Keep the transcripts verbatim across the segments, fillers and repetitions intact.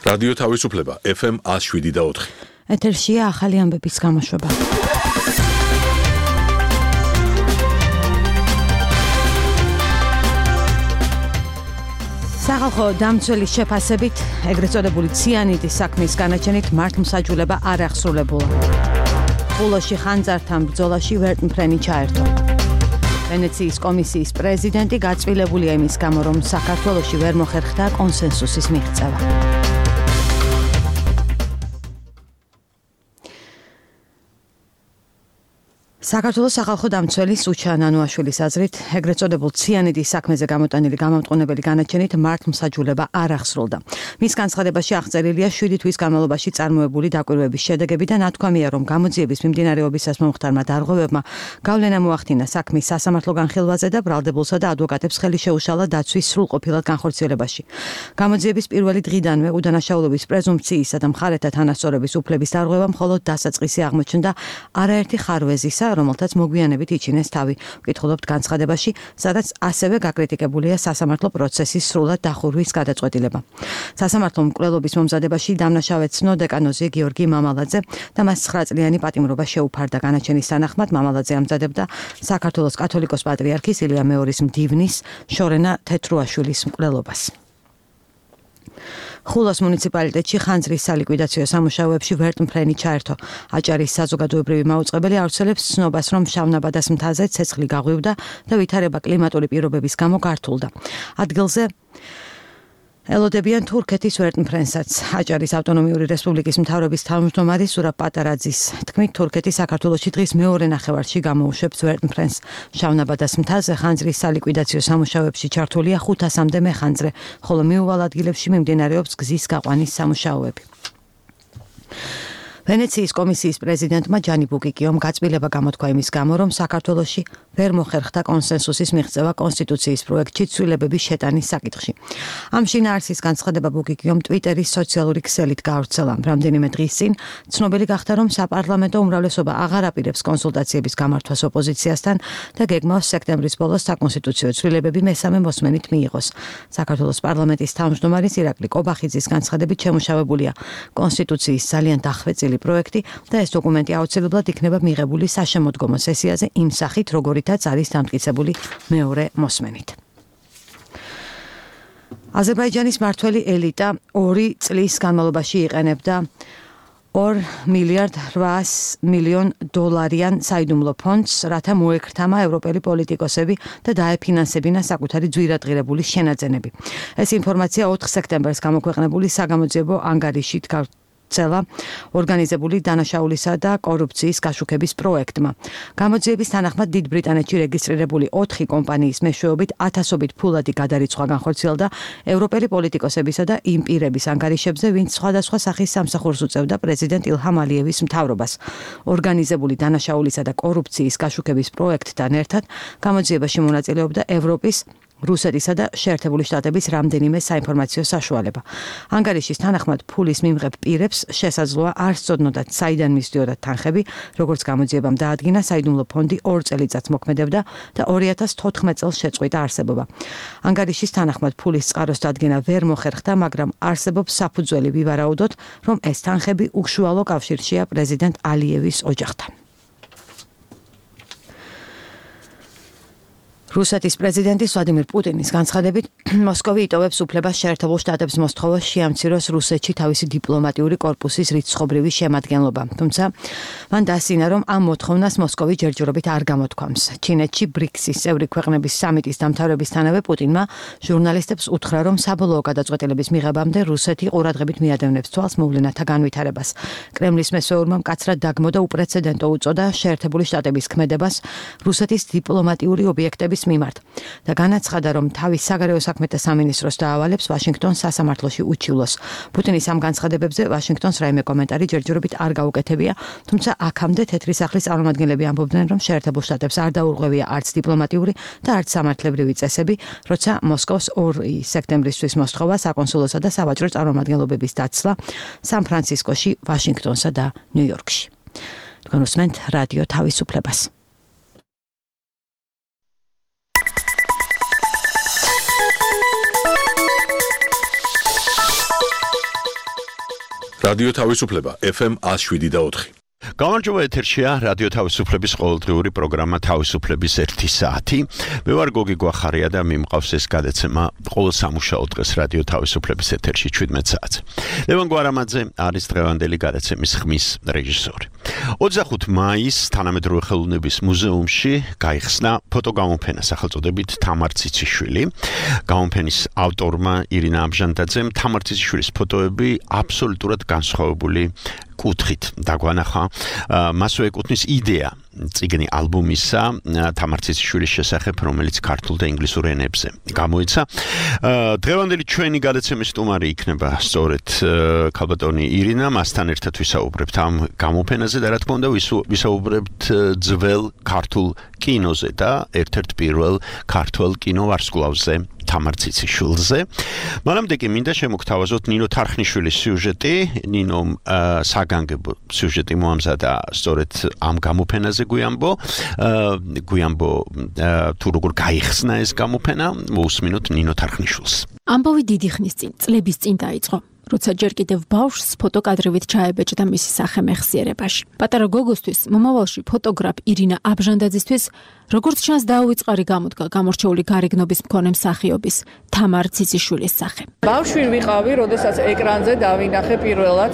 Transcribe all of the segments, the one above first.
რადიო თავისუფლება ეფ ემ one oh seven და four. ეთერშია ახალი ამბების გამოშვება. სახალხო დამცველის შეფასებით, ეგრეთ წოდებული ციანიდის საქმის განაჩენით მართლმსაჯულება არ აღსრულებულა. ბულოში ხანძართან ბრძოლაში ვერტმფრენი ჩაერთო. ვენეციის კომისიის პრეზიდენტი გაწვილებულია იმის გამო, რომ საქართველოში ვერ მოხერხდა კონსენსუსის მიღწევა. საქართველოს სახალხო დამცველის უჩა ნანუაშვილის აზრით, ეგრეთ წოდებულ ციანიდის საქმეზე გამოტანილი გამამტყუნებელი განაჩენით მართლმსაჯულება არ აღსრულდა. მის განცხადებაში აღწერილია შვიდი თვის განმავლობაში წარმოებული დაკვირვების შედეგები და ნათქვამია, რომ გამოძიების მიმდინარეობისას მომხდარმა დარღვევებმა გავლენა მოახდინა საქმის სასამართლო განხილვაზე და ბრალდებულსა და ადვოკატებს ხელი შეუშალა დაცვის სრულყოფილად განხორციელებაში. გამოძიების პირველი დღიდანვე უდანაშაულობის პრეზუმპციისა და მხარეთა თანასწორობის უფლების დარღვევა მხოლოდ დასაწყისი აღმოჩნდა არაერთი ხარვეზისა, რომელთაც მოგვიანებით იჩინეს თავი. ვკითხულობთ განცხადებაში, სადაც ასევე გაკრიტიკებულია სასამართლო პროცესის სრულად დახურვის გადაწყვეტილება. სასამართლო მკვლელობის მომზადებაში დამნაშავე ცნო დეკანოზი გიორგი მამალაძე და მას ცხრა წლიანი პატიმრობა შეუფარდა. განაჩენის თანახმად მამალაძე ამზადებდა საქართველოს კათოლიკოს პატრიარქის ილია მეორის მდივნის შორენა თეთრუაშვილის მკვლელობას. ხულოს მუნიციპალიტეტში ხანძრის სალიკვიდაციო სამუშაოებში ვერტმფრენი ჩაერთო. აჭარის საზოგადოებრივი მაუწყებელი ავრცელებს ცნობას, რომ შავნაბადას მთაზე ცეცხლი გაღვივდა და ვითარება კლიმატური პირობების გამო გართულდა. ადგილზე ელოდებიან თურქეთის ვერტმფრენსაც. აჭარის ავტონომიური რესპუბლიკის მთავრობის თავმჯდომარე სურაბ პატარაძის თქმით, თურქეთი საქართველოში დღის მეორე ნახევარში გამოუშვებს ვერტმფრენს. შავნაბადას მთაზე ხანძრის სალიკვიდაციო სამუშაოებში ჩართულია ხუთასამდე მეხანძრე, ხოლო მიუვალ ადგილებში მიმდინარეობს გზის გაყვანის სამუშაოები. ვენეციის კომისიის პრეზიდენტმა ჯანი ბუკიკიომ გაწმილება გამოთქვა იმის გამო, რომ საქართველოში ვერ მოხერხდა კონსენსუსის მიღწევა კონსტიტუციის პროექტში ცვლილებების შეტანის საკითხში. ამ შინაარსის განცხადება ბუკიკიომ ტვიტერის სოციალური ქსელით გაავრცელა. რამდენიმე დღის წინ ცნობილი გახდა, რომ საპარლამენტო უმრავლესობა აღარ აპირებს კონსულტაციების გამართვას ოპოზიციასთან და გეგმავს სექტემბრის ბოლოს საკონსტიტუციო ცვლილებები მესამე მოსმენით მიიღოს. საქართველოს პარლამენტის თავმჯდომარის ირაკლი კობახიძის განცხადებით შემუშავებულია კონსტიტუციის ძალიან დახვეწილი პროექტი და ეს დოკუმენტი აუცილებლად იქნება მიღებული საშემოდგომო სესიაზე იმ სახით, როგორითაც არის დამტკიცებული მეორე მოსმენით. აზერბაიჯანის მმართველი ელიტა ორი წლის განმავლობაში იყენებდა ორ მილიარდ რვაას მილიონ დოლარიან საიდუმლო ფონდს, რათა მოექრთამა ევროპელი პოლიტიკოსები და დაეფინანსებინა საკუთარი ძვირადღირებული შენაძენები. ეს ინფორმაცია ოთხ სექტემბერს გამოქვეყნებული საგამოძიებო ანგარიშით ცელა ორგანიზებული დანაშაულისა და კორუფციის გაშუქების პროექტმა. გამოძიების თანახმად დიდ ბრიტანეთში რეგისტრირებული ოთხი კომპანიის მეშვეობით ათასობით ფულადი გადარიცხვა განხორციელდა ევროპელი პოლიტიკოსებისა და იმ პირების ანგარიშებზე, ვინც სხვადასხვა სახის სამსახურს უწევდა პრეზიდენტ ილჰამ ალიევის მთავრობას. ორგანიზებული დანაშაულისა და კორუფციის გაშუქების პროექტთან ერთად გამოძიებაში მონაწილეობდა ევროპის, რუსეთისა და შეერთებული შტატების რამდენიმე საინფორმაციო საშუალება. ანგარიშის თანახმად ფულის მიმღებ პირებს შესაძლოა არ სწოდნოდათ საიდან მისდიოდათ თანხები, როგორც გამოძიებამ დაადგინა, საიდუმლო ფონდი ორ წელიწადს მოქმედებდა და ორი ათას თოთხმეტ წელს შეწყვიტა არსებობა. ანგარიშის თანახმად ფულის წყაროს დადგენა ვერ მოხერხდა, მაგრამ არსებობს საფუძველი ვივარაუდოთ, რომ ეს თანხები უშუალო კავშირშია პრეზიდენტ ალიევის ოჯახთან. რუსეთის პრეზიდენტის ვლადიმირ პუტინის განცხადებით, მოსკოვი იტოვებს უფლებას შეერთებულ შტატებს მოსთხოვოს შეამციროს რუსეთში თავისი დიპლომატიური კორპუსის რიცხობრივი შემადგენლობა. თუმცა მან დასცინა, რომ ამ მოთხოვნას მოსკოვი ჯერჯერობით არ გამოთქვამს. ჩინეთში ბრიქსის წევრი ქვეყნების სამიტის დამთავრებისთანავე პუტინმა ჟურნალისტებს უთხრა, რომ საბოლოო გადაწყვეტილების მიღებამდე რუსეთი ყურადღებით მიადევნებს თვალს მოვლენათა განვითარებას. კრემლის მესვეურმა მკაცრად დაგმო და უპრეცედენტო უწოდა შეერთებული შტატების ქმედებას რუსეთის დიპლომატიური ობიექტების მიმართ და განაცხადა, რომ თავის საგარეო საქმეთა სამინისტროს დაავალებს ვაშინგტონს სასამართლოში უჩივლოს. პუტინის ამ განცხადებებზე ვაშინგტონს რაიმე კომენტარი ჯერჯერობით არ გაუკეთებია, თუმცა აქამდე თეთრი სახლის წარმომადგენლები ამბობდნენ, რომ შეერთებულ შტატებს არ დაურღვევია არც დიპლომატიური და არც სამართლებრივი წესები, როცა მოსკოვს ორი სექტემბრისთვის მოსთხოვა საკონსულოსა და სავაჭრო წარმომადგენლობების დაცლა სან-ფრანცისკოში, ვაშინგტონსა და ნიუ-იორკში. თქვენ უსმენთ რადიო თავისუფლებას. რადიო თავისუფლება ეფ ემ one oh seven და four. გამარჯობა ეთერშია რადიო თავისუფლების ყოველდღიური პროგრამა თავისუფლების ერთი საათი. მე ვარ გოგი გვახარია და მიმყავს ეს გადაცემა ყოველ სამუშაო დღეს რადიო თავისუფლების ეთერში seventeen საათს. ლევან გვარამაძე არის დღევანდელი გადაცემის ხმის რეჟისორი. twenty-five მაისს თანამედროვე ხელოვნების მუზეუმში გაიხსნა ფოტოგამოფენა სახელწოდებით თამარ ციციშვილი. გამოფენის ავტორმა ირინა აბჟანდაძემ თამარ ციციშვილის ფოტოები აბსოლუტურად განსხვავებული კუთხით დაგვანახა. მასვე ეკუთვნის იდეა წიგნი ალბომისა თამარ ციციშვილის შესახებ, რომელიც ქართულ და ინგლისურ ენებზე გამოიცა. დღევანდელი ჩვენი გადაცემის სტუმარი იქნება სწორედ ქალბატონი ირინა, მასთან ერთად ვისაუბრებთ ამ გამოფენაზე და რა თქმა უნდა ვისაუბრებთ ძველ ქართულ კინოზე და ერთ-ერთ პირველ ქართულ კინოვარსკვლავზე თამარ ციციშვილზე. მანამდე კი მინდა შემოგთავაზოთ ნინო თარხნიშვილის სიუჟეტი. ნინომ საგანგებო სიუჟეტი მოამზადა სწორედ ამ გამოფენაზე გვიამბო. გვიამბო თუ როგორ გაიხსნა ეს გამოფენა. მოусმინოთ ნინო თარხნიშვილს. ამბავი დიდი ხნის წინ, წლების წინ დაიწყო. როცა ჯერ კიდევ ბავშვს ფოტოკადრებით ჩაებეჭდა მისი სახე მეხსიერებაში. პატარა გოგოსთვის, მომავალში ფოტოგრაფ ირინა აბჟანდაძისთვის, როგორც ჩანს დაუვიწყარი გამოდგა გამორჩეული გარეგნობის მქონე მსახიობის თამარ ციციშვილის სახე. ბავშვი ვიყავი, როდესაც ეკრანზე დავინახე პირველად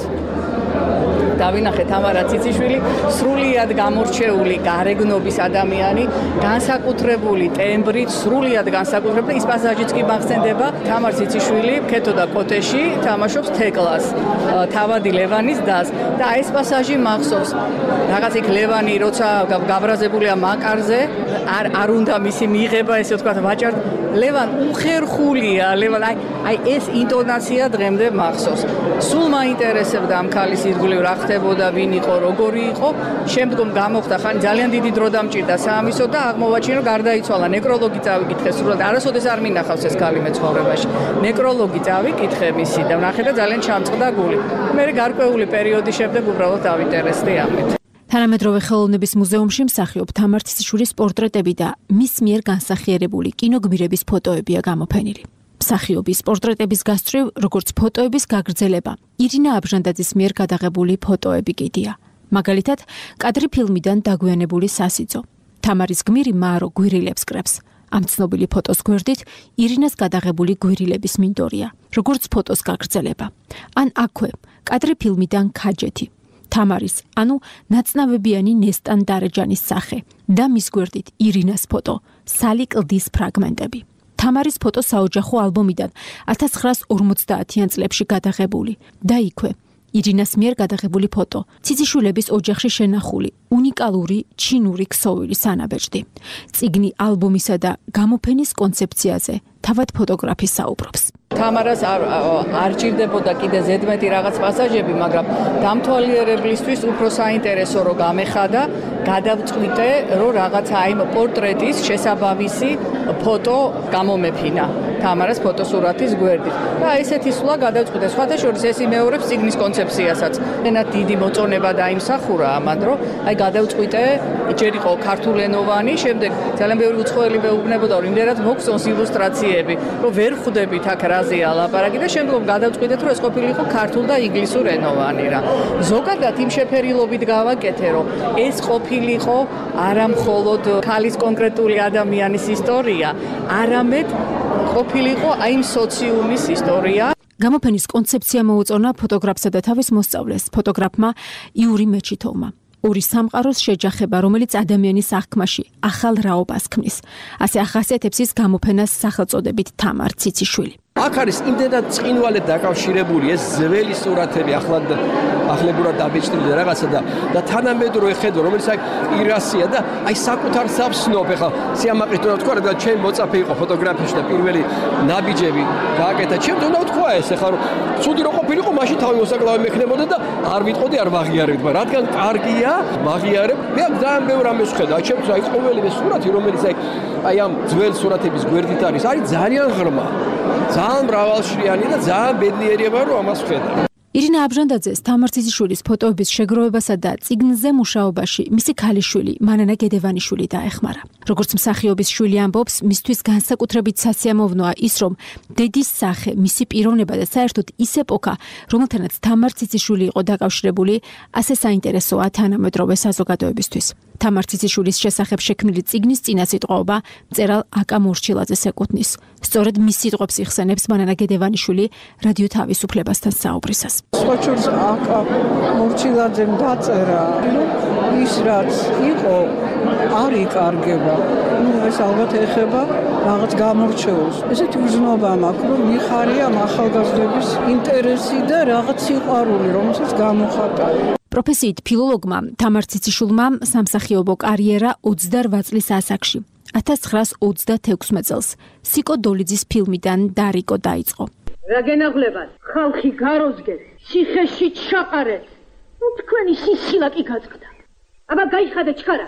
დავინახე თამარა ციციშვილი, სრულიად გამორჩეული გარეგნობის ადამიანი, განსაკუთრებული ტემბრით, სრულიად განსაკუთრებული. ის პასაჟიც კი მახსენდება, თამარ ციციშვილი ქეთოდა კოტეში, თამაშობს თეკლას, თავადი ლევანის დას და ეს პასაჟი მახსოვს. რაღაც იქ ლევანი როცა გაბრაზებულია მაკარზე, არ არ უნდა მისი მიიღება, ესე ვთქვათ, ვაჭარ ლევან უხერხულია, ლევან აი აი ეს ინტონაცია დღემდე მახსოვს. სულ მაინტერესებდა ამ ქალის ირგვლივ რა ხდებოდა, ვინ იყო, როგორი იყო. შემდგომ გამოხდა ხანი ძალიან დიდი დრო დამჭირდა საამისო და აღმოვაჩინე რომ გარდაიცვალა. ნეკროლოგი წავიკითხე, სრულად არასოდეს არ მინახავს ეს ქალი მე ცხოვრებაში. ნეკროლოგი წავიკითხე მისი და ვნახე და ძალიან ჩამწყდა გული. მე გარკვეული პერიოდის შემდეგ უბრალოდ დავინტერესდი ამით. თანამედროვე ხელოვნების მუზეუმში მსახიობ თამარ ციციშვილის პორტრეტები და მის მიერ განსახიერებული კინოგმირების ფოტოებია გამოფენილი. მსახიობის პორტრეტების გასწვრივ, როგორც ფოტოების გაგრძელება, ირინა აბჟანდაძის მიერ გადაღებული ფოტოები კიდია. მაგალითად, კადრი ფილმიდან დაგვიანებული სასიძო. თამარის გმირი მარო გვირილებს კრებს. ამ ცნობილი ფოტოს გვერდით ირინას გადაღებული გვირილების მინდორია, როგორც ფოტოს გაგრძელება. ან აქვე, კადრი ფილმიდან ქაჯეთი. თამარის, ანუ ნაცნავებიანი ნესტან დარეჯანის სახე და მის გვერდით ირინას ფოტო, სალი კლდის ფრაგმენტები. თამარის ფოტო საოჯახო ალბომიდან one thousand nine hundred forty წლებში გადაღებული და იქვე ირინას მიერ გადაღებული ფოტო, ციციშვილების ოჯახში შენახული უნიკალური ჩინური ქსოვილის ანაბეჭდი. წიგნი ალბომისა და გამოფენის კონცეფციაზე თავად ფოტოგრაფი საუბრობს. თამარას არ არ ჭირდებოდა კიდე ზედმეტი რაღაც პასაჟები, მაგრამ დამთვალიერებლისთვის უფრო საინტერესო რო გამეხადა, გადავწყვიტე, რომ რაღაცა აი პორტრეტის შესაბამისი ფოტო გამომეფინა. თამარას ფოტოსურათის გვერდით. და ესეთი სულა გადავწყვიტე. სხვათა შორის ეს იმეორებს წიგნის კონცეფციასაც. ენად დიდი მოწონება დაიმსახურა ამან, რომ აი გადავწყვიტე, ჯერ იყო ქართულენოვანი, შემდეგ ძალიან ბევრი უცხოელი მეუბნებოდა, რომ იმდენად მოგწონს ილუსტრაციები, რომ ვერ ხვდებით აქ რაზეა ლაპარაკი და შემდგომ გადავწყვიტეთ, რომ ეს ყოფილიყო ქართულ და ინგლისურ ენოვანი რა. ზოგადად იმ შეფერილობით გავაკეთე, რომ ეს ყოფილიყო არა მხოლოდ ქალის კონკრეტული ადამიანის ისტორია, არამედ ყოფილიყო აი იმ სოციუმის ისტორია. გამოფენის კონცეფცია მოუწონა ფოტოგრაფსა და თავის მოსწავლეს, ფოტოგრაფმა იური მეჩითოვმა. ორი სამყაროს შეჯახება, რომელიც ადამიანის აღქმაში ახალ რაობას ქმნის. ასე ახასიათებს ის გამოფენას სახელწოდებით თამარ ციციშვილი. აქ არის იმდენად წინვალედ დაკავშირებული ეს ძველი სურათები, ახლად ახლებურად დაბეჭდილი და რაღაცა და და თანამედროვე ხედვა, რომელიც აი ირასია და აი საკუთარ საბსნობ, ეხლა სიამაყის თუ რა ვთქვა, რადგან ჩემი მოწაფე იყო ფოტოგრაფიაში და პირველი ნაბიჯები გააკეთა. ჩემ თუ რა ვთქვა ეს, ეხლა რომ ცუდი რო ყოფილიყო, მაშინ თავი მოსაკლავი მექნებოდა და არ ვიტყოდი, არ ვაღიარებდი, მაგრამ რადგან კარგია, ვაღიარებ. მე ძალიან ბევრ ამას ვხედავ. ჩემთვის აი ყოველივე სურათი, რომელიც აი აი ამ ძველ სურათების გვერდით არის, არის ძალიან ღრმა. ძალიან მრავალშრიანი და ძალიან ბედნიერია, რომ ამას ვხედავ. ირინა აბჟანდაძეს თამარ ციციშვილის ფოტოების შეგროვებასა და წიგნზე მუშაობაში მისი ქალიშვილი მანანა გედევანიშვილი დაეხმარა. როგორც მსახიობის შვილი ამბობს, მისთვის განსაკუთრებით სასიამოვნოა ის, რომ დედის სახე, მისი პიროვნება და საერთოდ ის ეპოქა, რომელთანაც თამარ ციციშვილი იყო დაკავშირებული, ასე საინტერესოა თანამედროვე საზოგადოებისთვის. თამარ ციციშვილის შესახებ შექმნილი წიგნის წინასიტყვაობა მწერალ აკა მორჩილაძეს ეკუთვნის. სწორედ მის სიტყვებს იხსენებს მანანა გედევანიშვილი რადიო თავისუფლებასთან საუბრისას. სხვაჩურს აკა მორჩილაძემ დაწერა, რომ ის რაც იყო არ იკარგება. ნუ ეს ალბათ ეხება რაღაც გამორჩეულს. ესეთი გრძნობა მაქვს, რომ მიხარია ახალგაზრდების ინტერესი და რაღაც სიყვარული, რომელსაც გამოხატავ. პროფესიით ფილოლოგმა თამარ ციციშვილმა სამსახიობო კარიერა ოცდარვა წლის ასაკში, ათას ცხრაას ოცდათექვსმეტ წელს სიკო დოლიძის ფილმიდან დარიკო დაიწყო. რა გენაღლებათ, ხალხი გაროზგეს, ციხეში ჩაყარეთ. ნუ თქვენი სისხლა კი გაწყდა. აბა გაიხადე ჩქარა.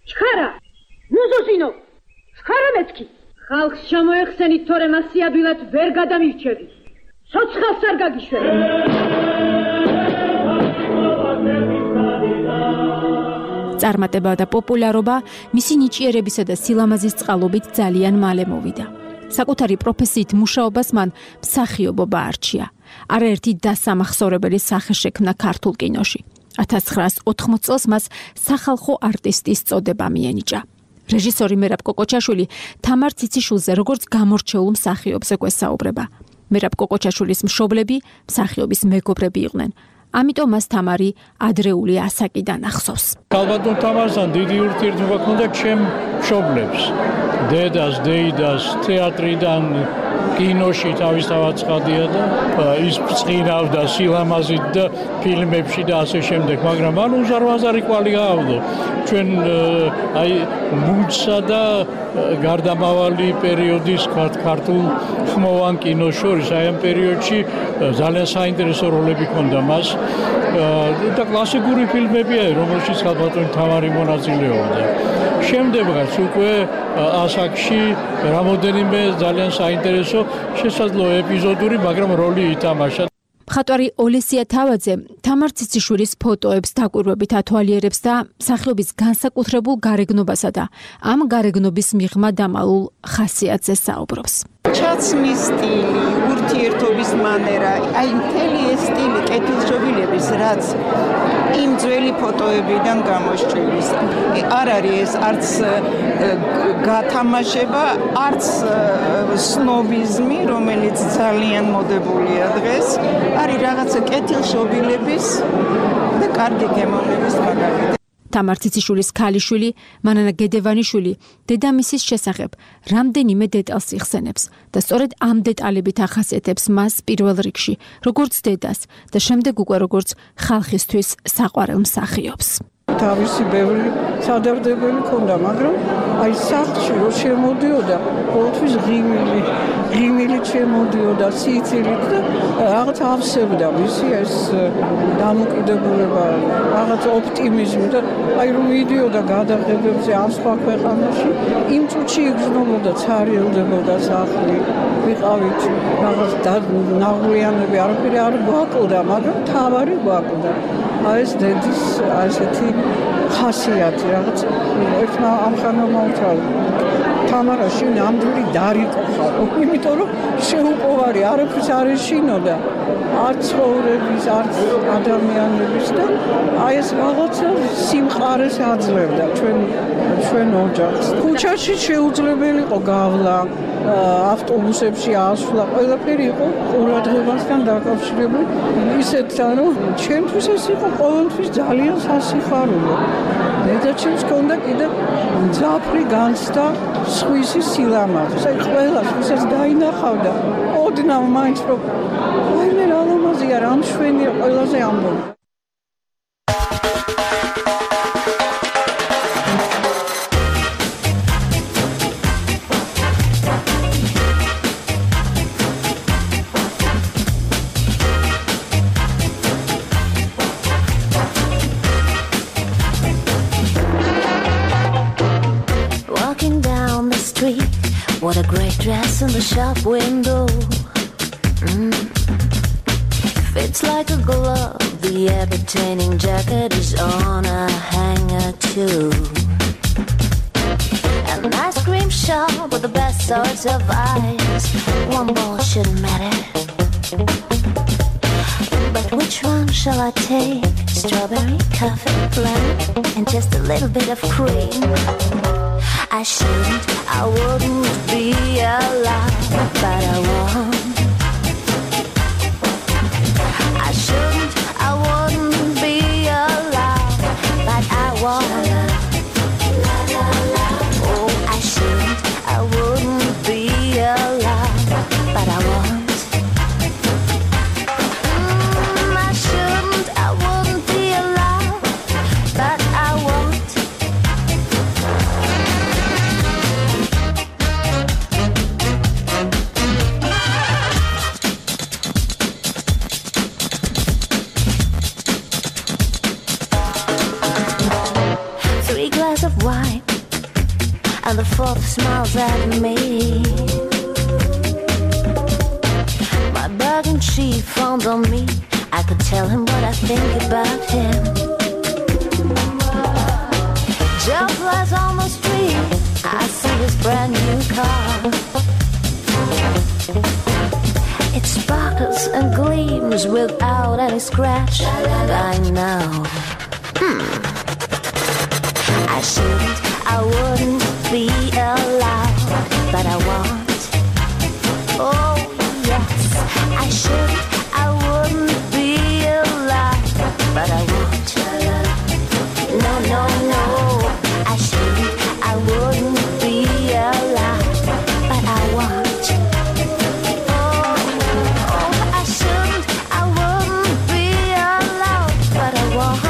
ჩქარა. ნუზოსინო. ჩქარა მეთქი. ხალხს შემოეხსენით, თორემ ასი ადვილად ვერ გადამირჩევი. სოცხალს არ გაგიშვენ. წარმატება და პოპულარობა მისი ნიჭიერებისა და სილამაზის წყალობით ძალიან მალე მოვიდა. საკუთარი პროფესიით მუშაობას მან მსახიობობა არჩია. არაერთი დასამახსოვრებელი სახე შექმნა ქართულ კინოში. ათას ცხრაას ოთხმოც წელს მას სახალხო არტისტის წოდება მიენიჭა. რეჟისორი მერაბ კოკოჩაშვილი თამარ ციციშვილზე როგორც გამორჩეულ მსახიობს ეკვესაუბრება. მერაბ კოკოჩაშვილის მშობლები მსახიობის მეგობრები იყვნენ. ამიტომ მას თამარი ადრეული ასაკიდან ახსოვს. ალბათ თამართან დიდი ურთიერთობა ჰქონდა ჩემ მშობლებს. დედას, დეიდას, თეატრიდან კინოში თავისთავად ცხადია და ის წინავდა სილამაზით და ფილმებში და ასე შემდეგ, მაგრამ ანუ უზარმაზარი კვალი გაავდო. ჩვენ აი მუნცსა და გარდამავალი პერიოდის ქართულ ხმოვან კინოს შორის აი ამ პერიოდში ძალიან საინტერესო როლები ჰქონდა მას და კლასიკური ფილმებია, რომელშიც ალბათ თამარი მონაწილეობდა. შემდეგაც უკვე ასაკში რამოდენიმე ძალიან საინტერესო შესაძლოა ეპიზოდური, მაგრამ როლი ითამაშა. მხატვარი ოლესია თავაძე თამარ ციციშვილის ფოტოებს დაკვირვებით ათვალიერებს და მსახიობის განსაკუთრებულ გარეგნობასა და ამ გარეგნობის მიღმა დამალულ ხასიათზე საუბრობს. ჩაცმის სტილი, ურთიერთობის მანერა, აი მთელი ეს სტილი კეთილშობილების, რაც იმ ძველი ფოტოებიდან გამოსჭრილის. არ არის ეს არც გათამაშება, არც სნობიზმი, რომელიც ძალიან მოდებულია დღეს, არის რაღაცა კეთილშობილების და კარგი გემოვნების მაგალითი. თამარ ციციშვილის ქალიშვილი მანანა გედევანიშვილი დედამისის შესახებ რამდენიმე დეტალს იხსენებს და სწორედ ამ დეტალებით ახასიათებს მას პირველ რიგში როგორც დედას და შემდეგ უკვე როგორც ხალხისთვის საყვარელ მსახიობს. თავისი ბევრი სადარდებელი ქონდა, მაგრამ აი სახლში რო შემოდიოდა, ყოველთვის ღიმილი, ღიმილით შემოდიოდა, სიცილით და რაღაც ავსებდა მისი ეს დამოკიდებულება, რაღაც ოპტიმიზმი და აი რომ მიდიოდა გადაღებებზე ამ სხვა ქვეყანაში, იმ წუთში იგრძნობოდა, ცარიელდებოდა სახლი, ვიყავით რაღაც ნაღვლიანები, არაფერი არ გვაკლდა, მაგრამ თავარი გვაკლდა. აი ეს დედის ასეთი ხასიათი რაღაც ერთმა ამხანმა უთრალ თამარაში ნამდვილი დარიკო ხარო, იმიტომ რომ შეუპოვარი არაფერს არ ეშინოდა, არც ცხოვრების, არც ადამიანების და აი ეს რაღაცა სიმყარეს აძლევდა ჩვენ ჩვენ ოჯახს. ქუჩაში შეუძლებელი იყო გავლა, ავტობუსებში ასვლა, ყველაფერი იყო ყურადღებასთან დაკავშირებული. ისეთ რომ ჩემთვის ეს იყო ყოველთვის ძალიან სასიხარულო. დედაჩემს ჰქონდა კიდე მძაფრი განცდა სხვისი სილამაზის. აი ყველას ვისაც დაინახავდა, ოდნავ მაინც რომ ვაიმე რა ლამაზია, რა მშვენია, ყველაზე ამბობ. What a great dress in the shop window. Mm. Fits like a glove. The entertaining jacket is on a hanger too. An ice cream shop with the best sorts of ice. One ball shouldn't matter. But which one shall I take? Strawberry, coffee, lemon, and just a little bit of cream. I shouldn't, I wouldn't be alive, but I want. I shouldn't, I wouldn't be alive, but I want. Oh, I shouldn't, I wouldn't be alive, but I want. And the fourth smiles at me. My bargain chief frowned on me. I could tell him what I think about him. Joe flies on the street. I see his brand new car. It sparkles and gleams without any scratch. I know. Hmm. I shouldn't, I wouldn't be alive, but I want. Oh yes, I should, I wouldn't be alive, but I want. No, no, no, I shouldn't, I wouldn't be alive, but I want. Oh, oh, I shouldn't, I wouldn't be alive, but I want.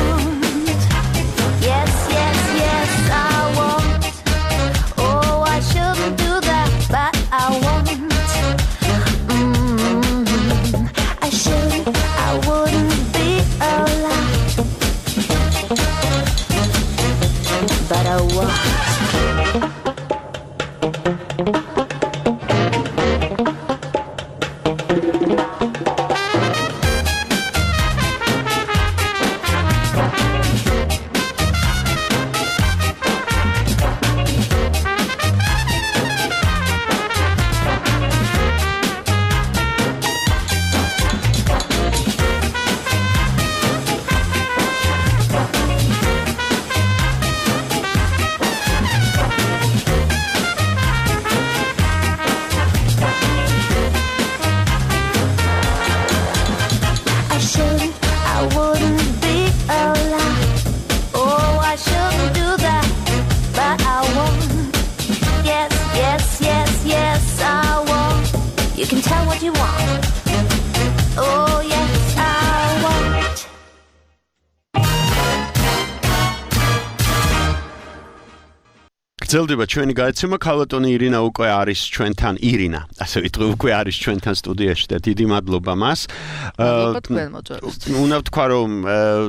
Yes, yes, yes, I want. Oh, I shouldn't do that, but I want. Mm-hmm. I should, I wouldn't be alive, but I want. გრძელდება ჩვენი გააცემა ქალბატონი ირინა უკვე არის ჩვენთან ირინა ასე ვიტყვი უკვე არის ჩვენთან სტუდიაში და დიდი მადლობა მას მადლობა თქვენ მოწვევას უნდა ვთქვა რომ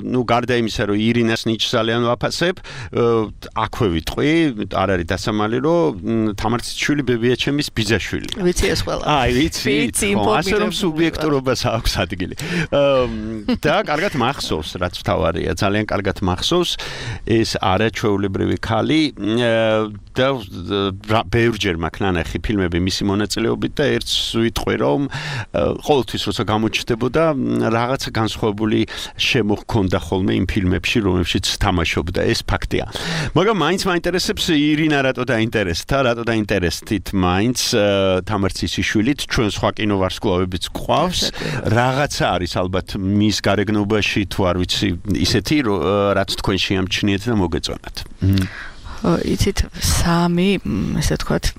ნუ გარდა იმისა რომ ირინას ნიჭს ძალიან ვაფასებ აქვე ვიტყვი არ არის დასამალი რომ თამარციშვილი ბებიაჩემის ბიძაშვილი ვიცი ეს ყველა აი ვიცი ასე რომ სუბიექტურობას აქვს ადგილი და კარგად მახსოვს რაც თავარია ძალიან კარგად მახსოვს ეს არაჩვეულებრივი ქალი და ბევრჯერ მაქვს ნანახი ფილმები მისი მონაწილეობით და ერთს ვიტყვი რომ ყოველთვის როცა გამოჩნდებოდა რაღაცა განსხვავებული შემოჰქონდა ხოლმე იმ ფილმებში რომლებშიც თამაშობდა ეს ფაქტია მაგრამ მაინც მაინტერესებს ირინა რატო დაინტერესდა რატო დაინტერესდით მაინც თამარციშვილით ჩვენ სხვა კინოვარსკვლავებიც გვყავს რაღაცა არის ალბათ მის გარეგნობაში თუ არ ვიცი ისეთი რაც თქვენ შეამჩნიეთ და მოგეწონათ იცით სამი ესე ვთქვათ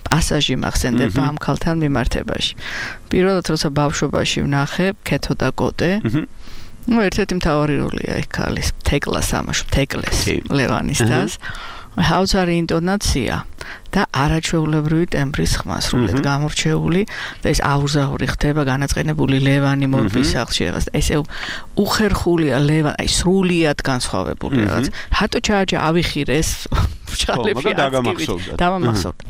პასაჟი მახსენდება ამ ქალთან მიმართებაში. პირველად როცა ბავშვობაში ვნახე ქეთო და კოტე. ნუ ერთ-ერთი მთავარი როლია იქ ქალის თეკლას ამაში თეკლეს ლევანის დას. ჰაუცარი ინტონაცია და არაჩვეულებრივი ტემბრის ხმა სრულად გამორჩეული და ეს აუზაური ხდება განაწყენებული ლევანი მორბის სახლში რაღაც ესე უხერხულია ლევანი აი სრულად განსხვავებული რაღაც რატო ჩააჯა ავიხირეს ბრჭყალები აცკივით დამამახსოვრდა.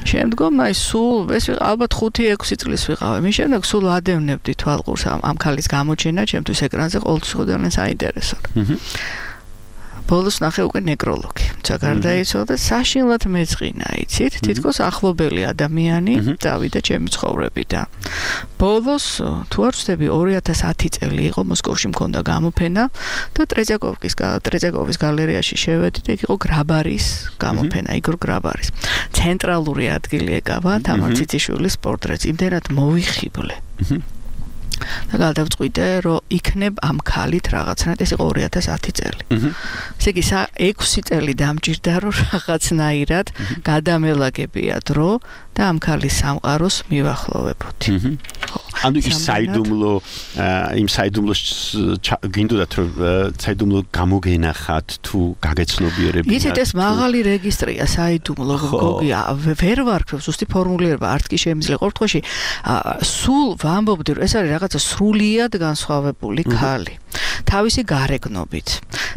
შემდგომ აი სულ ეს ალბათ ხუთი ექვსი წლის ვიყავ. მის შემდეგ სულ ადევნებდი თვალყურს ამ ქალის გამოჩენა, ჩემთვის ეკრანზე ყოველთვის ძალიან საინტერესოა. ბოლოს ნახე უკვე ნეკროლოგი. თუმცა გარდაიცვალა და საშინლად მეწყინა, იცით? თითქოს ახლობელი ადამიანი დავიდა ჩემი ცხოვრებიდან. ბოლოს თუ არ ვცდები ორი ათას ათი წელი იყო მოსკოვში მქონდა გამოფენა და ტრეძიაკოვკის ტრეძიაკოვის გალერეაში შევედი და იქ იყო გრაბარის გამოფენა, იგორ გრაბარის. ცენტრალური ადგილი ეკავა თამარ ციციშვილის პორტრეტს. იმდენად მოვიხიბლე. და გადავწყვიტე, რომ იქნებ ამ ქალით რაღაცნაირად, ეს იყო ორი ათას ათი წელი. ესე იგი, ექვსი წელი დამჭირდა, რომ რაღაცნაირად გადამელაგებია დრო და ამ ქალის სამყაროს მივახლოვებოდი. ანუ ის საიდუმლო იმ საიდუმლოს გინდოდათ რომ საიდუმლო გამოგენახათ თუ გაგეცნობიერებინათ. იცით ეს მაღალი რეგისტრია საიდუმლო გოგია ვერ ვარქვევ ზუსტი ფორმულირება არც კი შემიძლია ყოველთვის სულ ვამბობდი რომ ეს არის რაღაცა სრულიად განსხვავებული ქალი. თავისი გარეგნობით,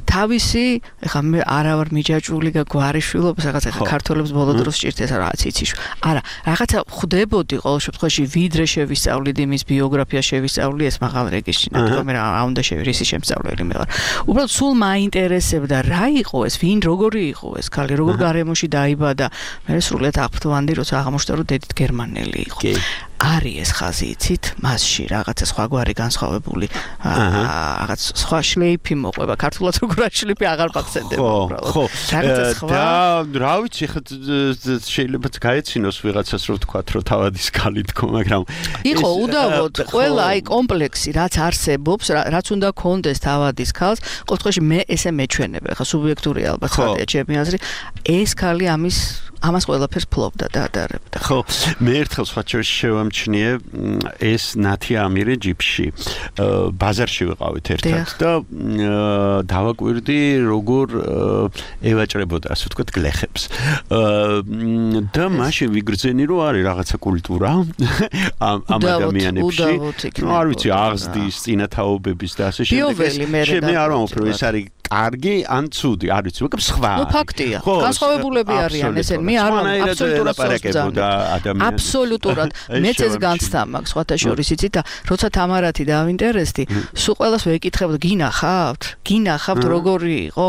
თავისი, ეხლა მე არა ვარ მიჯაჭვული და გვარიშვილობს, რაღაცა ეხლა ქართველებს ბოლო დროს სჭირდება რაღაც იცის. არა, რაღაცა ხვდებოდი ყოველ შემთხვევაში ვიდრე შევისწავლიდი მის ბიოგრაფია შევისწავლი ეს მაღალ რეგისტრში, თქო მე რა უნდა შევირისი შემსწავლელი მე ვარ. უბრალოდ სულ მაინტერესებდა რა იყო ეს, ვინ როგორი იყო ეს ქალი, როგორ გარემოში დაიბადა. მე სრულიად აღფრთოვანდი, როცა აღმოჩნდა რომ დედით გერმანელი იყო. არის ეს ხაზი იცით მასში რაღაცა სხვაგვარი განსხვავებული რაღაც სხვა შლეიფი მოყვება ქართულად როგორ შლეიფი აღარ მახსენდება უბრალოდ ხო და რა ვიცი ხა შეიძლება გაეცინოს ვიღაცას რომ თქვა რომ თავადის ქალი თქო მაგრამ იყო უდავოდ ყველა აი კომპლექსი რაც არსებობს რაც უნდა კონდეს თავადის ქალს ყოველთვის მე ესე მეჩვენებ ხა სუბიექტური ალბათ ხარია ჩემი აზრი ეს ქალი ამის ამას ყველაფერს ფლობდა და ატარებდა. ხო, მე ერთხელ სხვაჩვენში შევამჩნიე ეს ნათი ამირე ჯიპში. ბაზარში ვიყავით ერთად და დავაკვირდი როგორ ევაჭრებოდა, ასე ვთქვათ, გლეხებს. და მაშინ ვიგრძენი რომ არის რაღაცა კულტურა ამ ადამიანებში. ნუ არ ვიცი, აღზრდის, წინათაობების და ასე შემდეგ. შემე არ ვამბობ, ეს არის კარგი ან ცუდი, არ ვიცი, მაგრამ სხვა. ნუ ფაქტია. განსხვავებულები არიან ესენი. მე არ ვარ აბსოლუტურად პარაკებოდა ადამიანს. აბსოლუტურად. მეც ეს განცდა მაქვს სხვათა შორის იცით და როცა თამარათი დავინტერესდი, სულ ყველას ვეკითხებოდი, გინახავთ? გინახავთ როგორი იყო?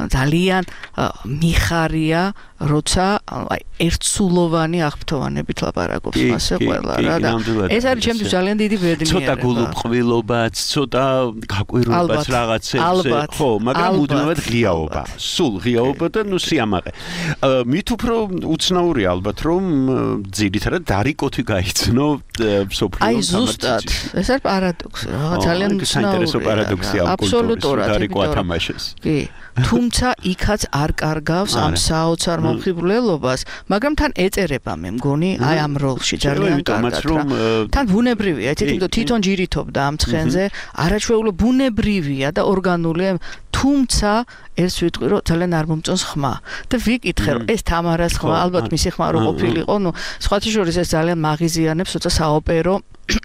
ძალიან მიხარია როცა აი ერთსულოვანი აღფრთოვანებით ლაპარაკობს მასე ყველა რა და ეს არის ჩემთვის ძალიან დიდი ბედნიერება. ცოტა გულუბრყვილობაც, ცოტა გაკვირვებაც რაღაცებზე, ხო, მაგრამ მუდმივად ღიაობა. სულ ღიაობა და ნუ სიამაყე. მით უფრო უცნაურია ალბათ რომ ძირითადად დარიკოთი გაიცნო სოფლიო აი ზუსტად ეს არის პარადოქსი რა ძალიან საინტერესო პარადოქსია ამ კულტურის დარიკო ათამაშეს კი თუმცა იქაც არ კარგავს ამ საოცარ მომხიბვლელობას მაგრამ თან ეწერება მე მგონი აი ამ როლში ძალიან კარგად თან ბუნებრივია ეთით თვითონ ჯირითობდა ამ ცხენზე არაჩვეულო ბუნებრივია და ორგანულია თუმცა ეს ვიტყვი რომ ძალიან არ მომწონს ხმა და ვიკითხე რომ ეს თამარას ხმა ალბათ მისი ხმა რო ყოფილიყო ნუ სხვათა შორის ეს ძალიან მაღიზიანებს როცა საოპერო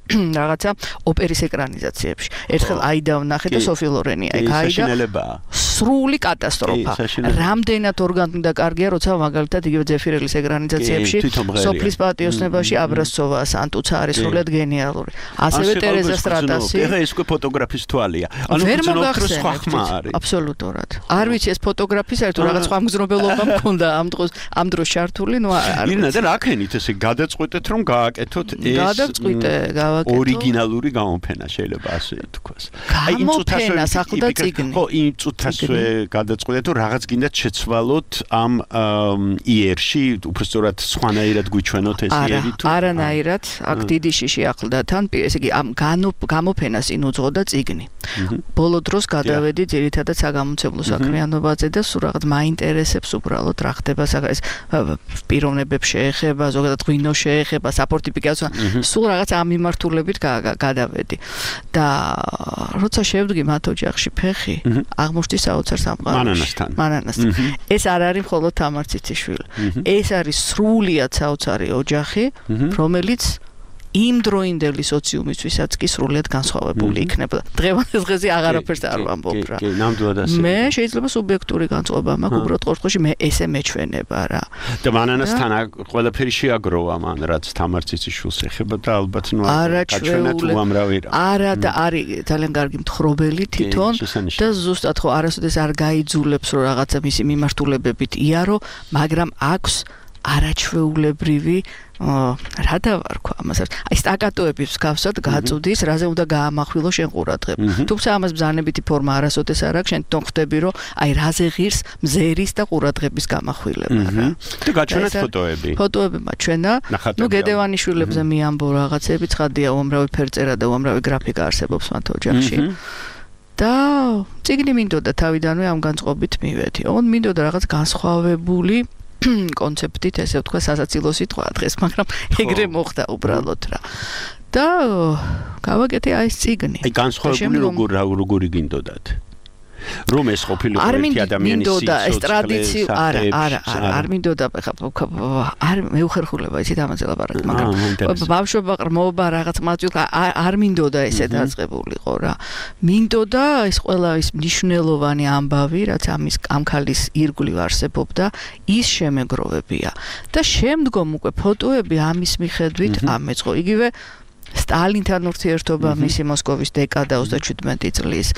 რაღაცა ოპერის ეკრანიზაციებში ერთხელ აიდა ვნახე და სოფი ლორენი აი გაიდა სრული კატასტროფა რამდენად ორგანული და კარგია როცა მაგალითად იგივე ზეფირელის ეკრანიზაციებში სოფლის პატიოსნებაში აბრასცოვა სანტუცა არის სრულად გენიალური ასევე ტერეზა სტრატასი ეხა ეს უკვე ფოტოგრაფის თვალია ანუ ფოტოგრაფის სხვა ხმა არის აბსოლუტურად არ ვიცი ეს ფოტოგრაფის არის თუ რაღაც სხვა მგზნობელობა მქონდა ამ დროს ამ დროს ჩართული ნუ არ ინა და რაკენით ესე გადაწყვეტეთ რომ გააკეთოთ ეს გადაწყვიტე გავაკეთო ორიგინალური გამოფენა შეიძლება ასე თქვას აი იმ წუთასვე სახვდა წიგნი ხო იმ წუთასვე გადაწყვეტეთ რომ რაღაც გინდათ შეცვალოთ ამ იერში უბრალოდ სხვანაირად გვიჩვენოთ ეს იერი თუ არანაირად აქ დიდი შიში ახლდა თან ესე იგი ამ გამოფენას წინ უძღოდა წიგნი ბოლო დროს გადავედი ძირითადად საგამომცემლო საქმიანობაზე და სულ რაღაც მაინტერესებს უბრალოდ რა ხდება ეს პიროვნებებს შეეხება ზოგადად ღვინო შეეხება საფორტიფიკაციო სულ რაღაც ამ მიმართულებით გადავედი და როცა შევდგი მათ ოჯახში ფეხი აღმოჩნდი საოცარ სამყაროში მანანასთან ეს არ არის მხოლოდ თამარ ციციშვილი ეს არის სრულიად საოცარი ოჯახი რომელიც იმ დროინდელი სოციუმისთვისაც კი სრულიად განსხვავებული იქნებოდა. დღევანდელ დღეზე აღარაფერს არ ვამბობ რა. კი, ნამდვილად ასე. მე შეიძლება სუბიექტური განწყობა მაქვს, უბრალოდ ყოველთვის მე ესე მეჩვენება რა. და მანანასთან ყველაფერი შეაგროვა მან, რაც თამარ ციციშვილს ეხება და ალბათ ნუ გაჩვენათ უამრავი რა. არა და არის ძალიან კარგი მთხრობელი თვითონ და ზუსტად ხო არასოდეს არ გაიძულებს რომ რაღაცა მისი მიმართულებებით იარო, მაგრამ აქვს არაჩვეულებრივი რა დავარქვა ამას აი სტაკატოების მსგავსად გაწუდის რაზე უნდა გაამახვილო შენ ყურადღება თუმცა ამას ბრძანებითი ფორმა არასოდეს არ აქვს შენ თვითონ ხვდები რომ აი რაზე ღირს მზერის და ყურადღების გამახვილება რა და გაჩვენეთ ფოტოები ფოტოები მაჩვენა ნუ გედევანიშვილებზე მიამბო რაღაცები ცხადია უამრავი ფერწერა და უამრავი გრაფიკა არსებობს მათ ოჯახში და წიგნი მინდოდა თავიდანვე ამ განწყობით მივედი ოღონდ მინდოდა რაღაც განსხვავებული კონცეფტით ესე ვთქვა სასაცილო სიტყვა დღეს მაგრამ ეგრე მოხდა უბრალოდ რა და გავაკეთე აი ეს წიგნი აი განსხვავებული როგორ როგორი გინდოდათ რომ ეს ყოფილიყო ერთი ადამიანის სიცოცხლე არა არა არა არ მინდოდა არ მეუხერხულება ისეთ ამაზე ლაპარაკი მაგრამ ბავშვობა ყრმობა რაღაც მაწვი არ მინდოდა ესე დაწყებულიყო რა მინდოდა ეს ყველა ის მნიშვნელოვანი ამბავი რაც ამის ამქალის ირგვლივ არსებობდა ის შემეგროვებია და შემდგომ უკვე ფოტოები ამის მიხედვით ამეწყო იგივე სტალინთან ურთიერთობა მისი მოსკოვის დეკადა ოცდაჩვიდმეტი წლის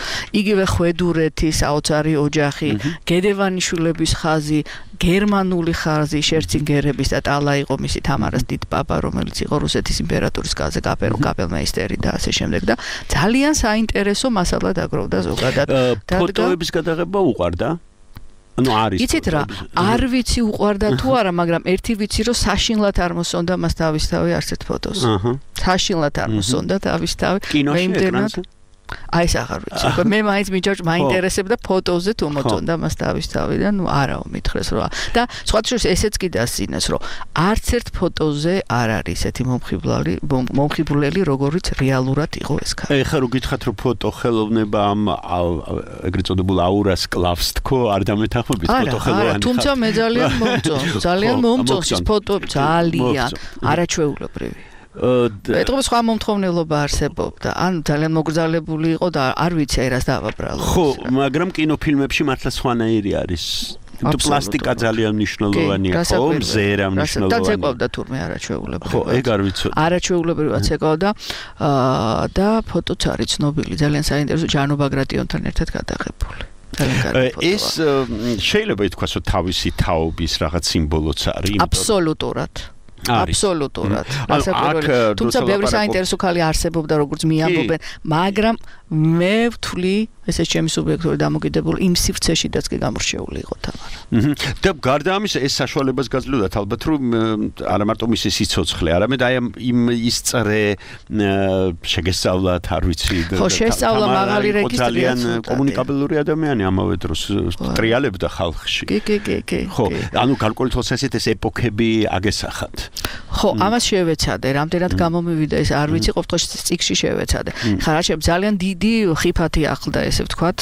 იგივე ხვედურეთის საოცარი ოჯახი გედევანიშვილების ხაზი გერმანული ხაზი შერცინგერების და ტალა იყო მისი თამარას დიდპაპა რომელიც იყო რუსეთის იმპერატორის კარზე კაპელმეისტერი და ასე შემდეგ და ძალიან საინტერესო მასალა დაგროვდა ზოგადად ფოტოების გადაღება უყვარდა ანუ არის იცით რა არ ვიცი უყვარდა თუ არა მაგრამ ერთი ვიცი რომ საშინლად არ მოსონდა მას თავისთავი არცერთ ფოტოს აჰა საშინლად არ მოსონდა თავისთავი კინოში აი ეს აღარ ვიცი მე მაინც მიჯაჭ მაინტერესებდა ფოტოზე თუ მოწონდა მას თავისთავი და ნუ არაო მითხრეს რომ და სხვა შორის ესეც კი დასინეს რომ არც ერთ ფოტოზე არ არის ესეთი მომხიბლელი მომხიბლელი როგორიც რეალურად იყო ეს ქალი ეხლა რო გითხათ რომ ფოტო ხელოვნება ამ ეგრეთ წოდებულ აურას კლავს თქო არ დამეთანხმებით ფოტო ხელოვანი არა თუმცა მე ძალიან მომწონს ძალიან მომწონს ეს ფოტო ძალიან არაჩვეულებრივი ეტყობა სხვა მომთხოვნელობა არსებობდა ან ძალიან მოგრძალებული იყო და არ ვიცი აი რას დავაბრალო ხო მაგრამ კინოფილმებში მართლა სხვანაირი არის თუ პლასტიკა ძალიან მნიშვნელოვანია ხო მზერა მნიშვნელოვანია და ცეკვავდა თურმე არაჩვეულებრივი ხო ეგ არ ვიცოდი არაჩვეულებრივად ცეკვავდა და ფოტოც არის ცნობილი ძალიან საინტერესო ჯანო ბაგრატიონთან ერთად გადაღებული ეს შეიძლება ითქვას რომ თავისი თაობის რაღაც სიმბოლოც არის აბსოლუტურად აბსოლუტურად დასაკვირველი თუმცა ბევრი საინტერესო ქალი არსებობდა როგორც მიამბობენ მაგრამ მე ვთვლი ესე ჩემი სუბიექტური დამოკიდებული იმ სივრცეშიდაც კი გამორჩეული იყო თამარა და გარდა ამისა ეს საშუალებას გაძლევდათ ალბათ რომ არა მარტო მისი სიცოცხლე არამედ აი იმ ის წრე შეგესწავლათ არ ვიცი ხო შესწავლა მაღალი რეგისტრია ძალიან კომუნიკაბელური ადამიანი ამავე დროს ტრიალებდა ხალხში კი კი კი კი ხო ანუ გარკვეული თვალსაზრისით ეს ეპოქები აგესახათ ხო ამას შევეცადე რამდენად გამომივიდა ეს არ ვიცი ყოველთვის წიგში შევეცადე ხა რა შეიძლება ძალიან დიდი ხიფათი ახლდა ესე ვთქვათ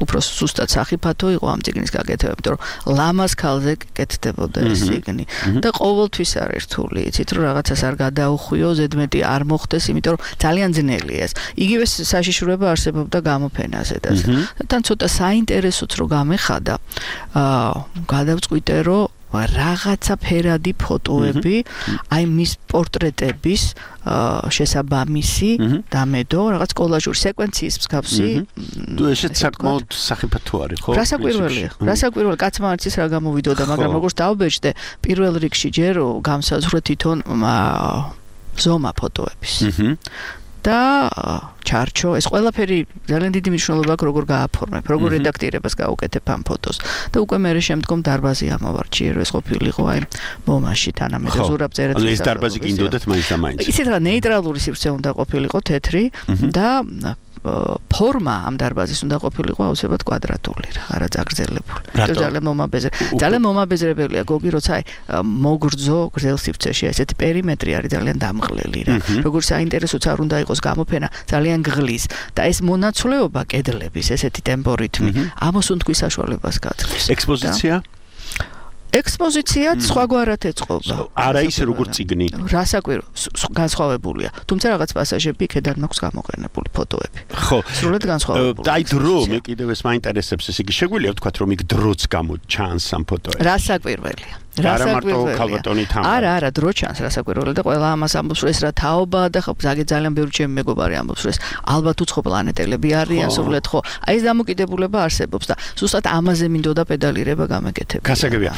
უფრო სუსტად სახიფათო იყო ამ წიგნის გაკეთება იმიტომ რომ ლამაზ ქალზე კეთდებოდა ეს წიგნი და ყოველთვის არ ერთული იცით რომ რაღაცას არ გადაუხვიო ზედმეტი არ მოხდეს იმიტომ რომ ძალიან ძნელია ეს იგივე საშიშროება არსებობდა გამოფენაზე და თან ცოტა საინტერესოც რო გამეხადა აა გადავწყვიტე რომ რაღაცა ფერადი ფოტოები აი მის პორტრეტების შესაბამისი დამედო რაღაც კოლაჟური სეკვენციის მსგავსი თუ ესეც საკმაოდ სახიფათო არის ხო რასაკვირველია რასაკვირველი კაცმა არც ის რა გამოვიდოდა მაგრამ როგორც დავბეჭდე პირველ რიგში ჯერ გამსაზღვრე თვითონ ზომა ფოტოების და ჩარჩო ეს ყველაფერი ძალიან დიდი მნიშვნელობა აქვს როგორ გააფორმებ როგორ რედაქტირებას გაუკეთებ ამ ფოტოს და უკვე მე შემდგომ დარბაზი ამოვარჩიე რომ ეს ყოფილიყო აი მომაში თანამედროვე ზურაბ წერეთლის ეს დარბაზი გინდოდათ მაინც და მაინც ისეთ რა ნეიტრალური სივრცე უნდა ყოფილიყო თეთრი და ფორმა ამ დარბაზის უნდა ყოფილიყო აუცილებლად კვადრატული რა არა წაგრძელებული ეს ძალიან მომაბეზრე ძალიან მომაბეზრებელია გოგი როცა აი მოგრძო გრძელ სივრცეში ესეთი პერიმეტრი არის ძალიან დამღლელი რა როგორც საინტერესოც არ უნდა იყოს გამოფენა ძალიან გღლის და ეს მონაცვლეობა კედლების ესეთი ტემპორიტმი ამას უნდკვის საშუალებას გაძლევს ექსპოზიცია ექსპოზიციაც სხვაგვარად ეწყობა. არა ისე როგორც წიგნი. რასაკვირო, განსხვავებულია. თუმცა რაღაც პასაჟები ქედან მაქვს გამოყენებული ფოტოები. ხო. სრულად განსხვავებული. აი დრო მე კიდევ ეს მაინტერესებს, ესე იგი შეგვიძლია ვთქვათ რომ იქ დროც გამოჩანს ამ ფოტოებში. რასაკვირველია. არა მარტო ქალბატონი თან. არა, არა, დრო ჩანს რასაკვირველია და ყველა ამას ამბობს რომ ეს რა თაობაა და ხო ზაგი ძალიან ბევრი ჩემი მეგობარი ამბობს რომ ეს ალბათ უცხო პლანეტელები არიან სულეთ ხო. აი ეს დამოკიდებულება არსებობს და ზუსტად ამაზე მინდოდა პედალირება გამეკეთებინა. გასაგებია.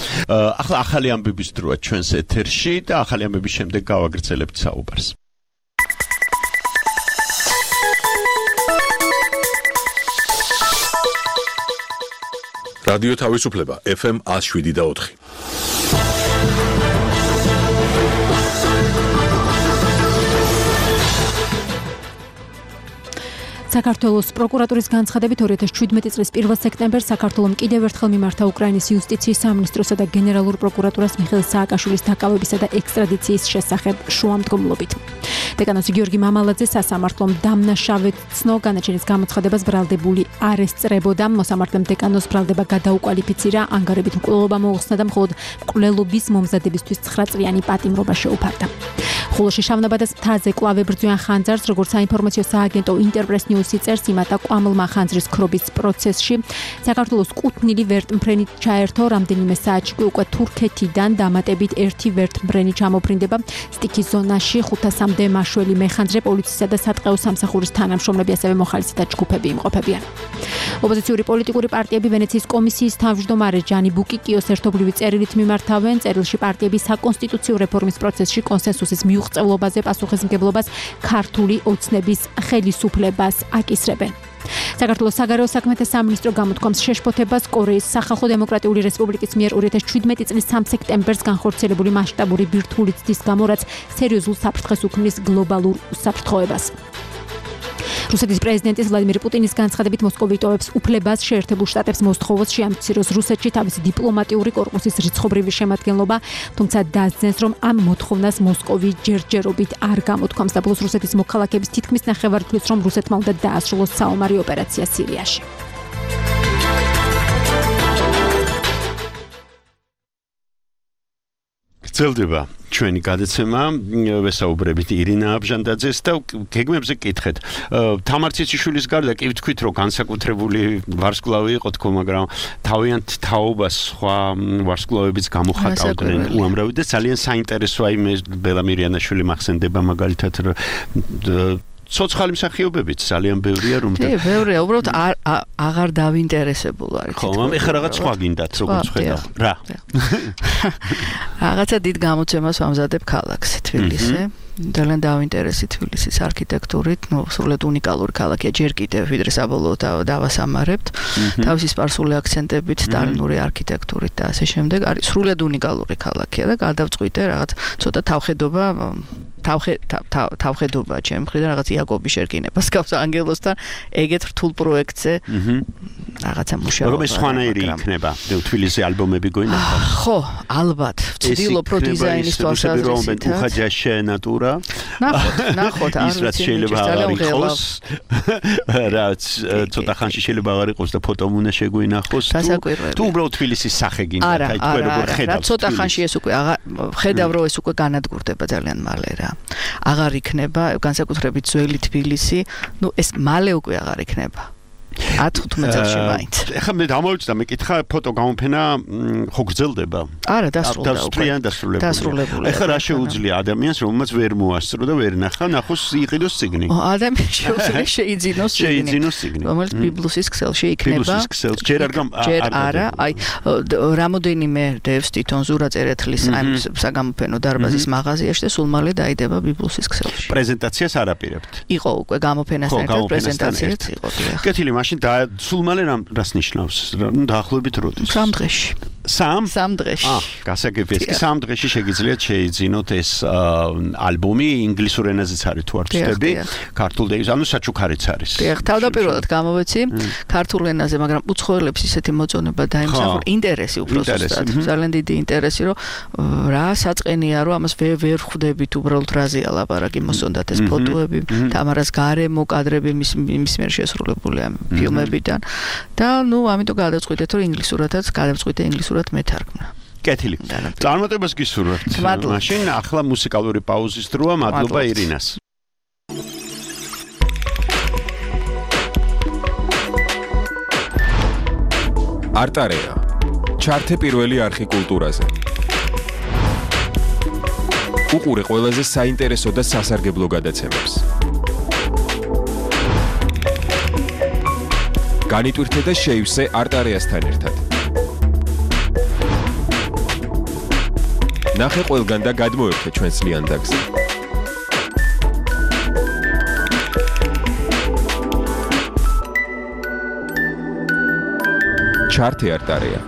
ახლა ახალი ამბების დროა ჩვენს ეთერში და ახალი ამბების შემდეგ გავაგრძელებთ საუბარს. რადიო თავისუფლება ეფ ემ one oh seven და four. საქართველოს პროკურატურის განცხადებით ორი ათას შვიდმეტი წლის პირველ სექტემბერს საქართველოს კიდევ ერთხელ მიმართა უკრაინის იუსტიციის სამინისტროსა და გენერალურ პროკურატურას მიხეილ სააკაშვილის დაკავებისა და ექსტრადიციის შესახებ შუამდგომლობით. დეკანოზი გიორგი მამალაძე სასამართლომ დამნაშავედ ცნო განაჩენის გამოცხადებას ბრალდებული არ ესწრებოდა. მოსამართლემ დეკანოს ბრალდება გადაუკვალიფიცირა, ანგარებით მკვლელობა მოუხსნა და მხოლოდ მკვლელობის მომზადებისთვის ცხრა წლიანი პატიმრობა შეუფარდა. ხულოში შავნაბადას მთაზე კვლავ ებრძვიან ხანძარს, როგორც საინფორმაციო სააგენტო ინტერპრეს ნიუსი წერს, იმათა ყვამლმა ხანძრის ქრობის პროცესში საქართველოს კუთვნილი ვერტმფრენი ჩაერთო, რამდენიმე საათში უკვე თურქეთიდან დამატებით ერთი ვერტმფრენი ჩამოფრინდება სტიქის ზონაში. ხუთასამდე მაშველი მეხანძრე, პოლიციისა და სატყეო სამსახურის თანამშრომლები, ასევე მოხალისეთა ჯგუფები იმყოფებიან. ოპოზიციური პოლიტიკური პარტიები ვენეციის კომისიის თავმჯდომარე ჟანი ბუკიკიოს ერთობლივი წერილით მიმართავენ. წერილში პარტიები საკონსტიტუციო რეფორმის პროცესში კონსენსუსის მიუღწევლობაზე პასუხისმგებლობას ქართული ოცნების ხელისუფლებას აკისრებენ. საქართველოს საგარეო საქმეთა სამინისტრო გამოთქვამს შეშფოთებას კორეის სახალხო დემოკრატიული რესპუბლიკის მიერ ორი ათას შვიდმეტი წლის სამი სექტემბერს განხორციელებული მასშტაბური ბირთვული ცდის გამო, რაც სერიოზულ საფრთხეს უქმნის გლობალურ უსაფრთხოებას. რუსეთის პრეზიდენტის ვლადიმირ პუტინის განცხადებით მოსკოვი იტოვებს უფლებას შეერთებულ შტატებს მოსთხოვოს შეამციროს რუსეთში თავისი დიპლომატიური კორპუსის რიცხობრივი შემადგენლობა, თუმცა დასძენს, რომ ამ მოთხოვნას მოსკოვი ჯერჯერობით არ გამოთქვამს და ბოლოს რუსეთის მოქალაქეების თითქმის ნახევარწუთს რომ რუსეთმა უნდა დაასრულოს საომარი ოპერაცია სირიაში. გრძელდება ჩვენი გადაცემა, ვესაუბრებით ირინა აბჟანდაძეს და გეგმებზე კითხეთ. თამარ ციციშვილის გარდა კი ვთქვით, რომ განსაკუთრებული ვარსკვლავი იყო თქო, მაგრამ თავიანთ თაობას სხვა ვარსკვლავებიც გამოხატავდნენ უამრავი და ძალიან საინტერესოა იმ ბელა მირიანაშვილი მახსენდება მაგალითად ცოცხალი მსახიობებიც ძალიან ბევრია რომ და ბევრია, უბრალოდ აღარ დავინტერესებულ არის. ხო, ეხლა რაღაც სხვა გინდათ როგორც ხედავ. რა. რაღაცა დიდ გამოცემას ვამზადებ ქალაქზე, თბილისზე. ძალიან დავინტერესი თბილისის არქიტექტურით, ნუ სრულად უნიკალური ქალაქია, ჯერ კიდევ ვიდრე საბოლოოდ დავასამარებთ. თავისი სპარსული აქცენტებით, სტალინური არქიტექტურით და ასე შემდეგ. არის სრულად უნიკალური ქალაქია და გადავწყვიტე რაღაც ცოტა თავხედობა თავხე თავხედობა ჩემ მხრიდან რაღაც იაკობი შერკინებას გავს ანგელოსთან ეგეთ რთულ პროექტზე რაღაცა მუშაობა. როგორ სხვანაირი იქნება თბილისის ალბომები გვინახავს? ხო, ალბათ. ვცდილობ რო დიზაინის თვალსაზრისით. უხაჯაშე ნატურა. ნახოთ, ნახოთ, ის რაც შეიძლება აღარ იყოს. რაც ცოტა ხანში შეიძლება აღარ იყოს და ფოტომ უნდა შეგვინახოს. თუ უბრალოდ თბილისის სახე გინდათ, აი თქვენ როგორ ხედავთ? რა ცოტა ხანში ეს უკვე აღარ ხედავ რომ ეს უკვე განადგურდება ძალიან მალე რა. აღარ იქნება განსაკუთრებით ძველი თბილისი, ნუ ეს მალე უკვე აღარ იქნება. ათი-თხუთმეტ წელში მაინც. ეხლა მე დამოვიწყდა, მე კითხა ფოტო გამოფენა ხო გრძელდება? არა, დასრულდა უკვე. დასრულებული. დასრულებული. ეხლა რა შეუძლია ადამიანს, რომელმაც ვერ მოასწრო და ვერ ნახა, ნახოს იყიდოს ციგნი? ადამიანს შეუძლია შეიძინოს ციგნი. შეიძინოს ციგნი. რომელიც ბიბლუსის ქსელში იქნება. ბიბლუსის ქსელში ჯერ არ გამ ჯერ არა, აი რამოდენიმე დევს თვითონ ზურა წერეთლის ამ საგამოფენო დარბაზის მაღაზიაში და სულ მალე დაიდება ბიბლუსის ქსელში. პრეზენტაციას არ აპირებთ? იყო უკვე გამოფენასთან ერთად პრეზენტაციაც იყო. კეთილი მაშინ და სულ მალე რას ნიშნავს? დაახლოებით როდის? სამ დღეში. სამ? სამ დღეში. აა, გასაგებია. ეს სამ დღეში შეგიძლიათ შეიძინოთ ეს ალბომი ინგლისურ ენაზეც არის თუ არ ვცდები, ქართულ და ანუ საჩუქარიც არის. დიახ, თავდაპირველად გამოვეცი ქართულ ენაზე, მაგრამ უცხოელებს ისეთი მოწონება დაიმსახურა, ინტერესი უფრო ზუსტად. ძალიან დიდი ინტერესი, რომ რა საწყენია, რომ ამას ვერ ხვდებით უბრალოდ რაზეა ლაპარაკი, მოსონდათ ეს ფოტოები, თამარას გარემო კადრები მის მის მიერ შესრულებული ამ ფილმებიდან და ნუ ამიტომ გადავწყვიტეთ, რომ ინგლისურადაც გადავწყვიტე ინგლისურად მეთარგმნა. კეთილი. წარმატებას გისურვებთ. მაშინ ახლა მუსიკალური პაუზის დროა. მადლობა ირინას. არტარეა. ჩართე პირველი არხი კულტურაზე. უყურე ყველაზე საინტერესო და სასარგებლო გადაცემებს. განიტვირთე და შეივსე არტარეასთან ერთად. ნახე ყველგან და გადმოერთე ჩვენს ლიანდაგზე. ჩართე არტარეა.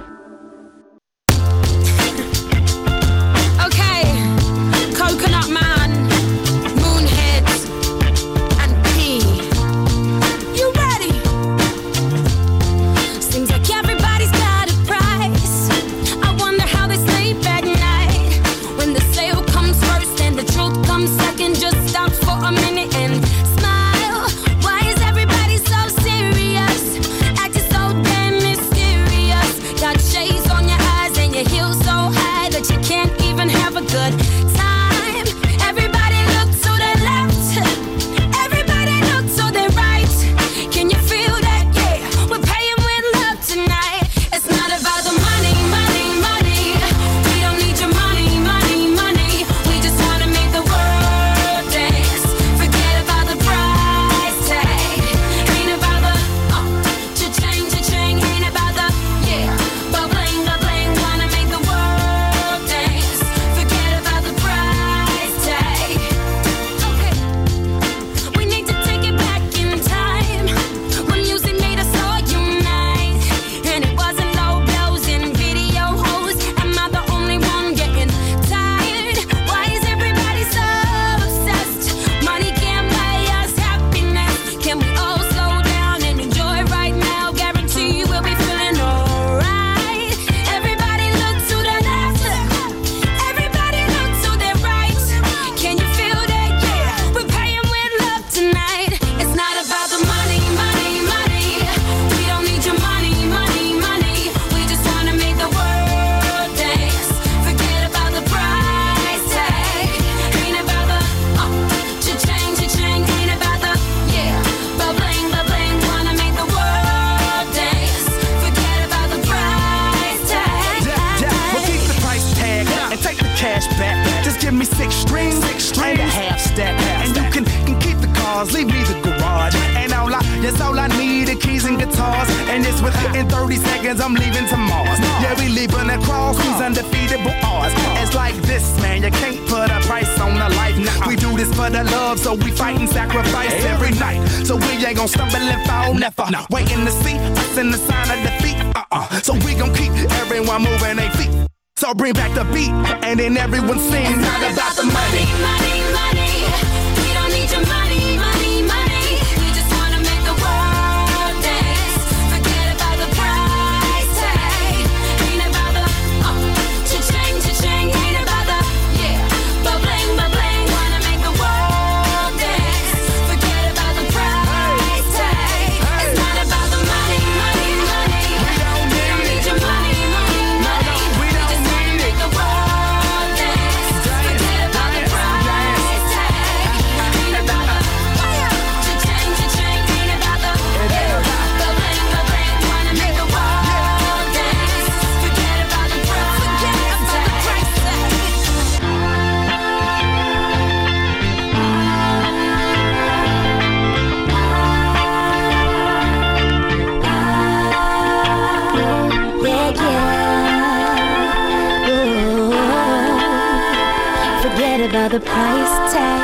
So bring back the beat and then everyone sings. It's not about the money, money, money. We don't need your money, money, money. We just wanna make the world dance. Forget about the price tag. Ain't about the uh, cha-ching, cha-ching. Ain't about the yeah, but bling, but bling. Wanna make the world dance. Forget about the price tag. It's not about the money, money, money. We don't need your money. About the price tag.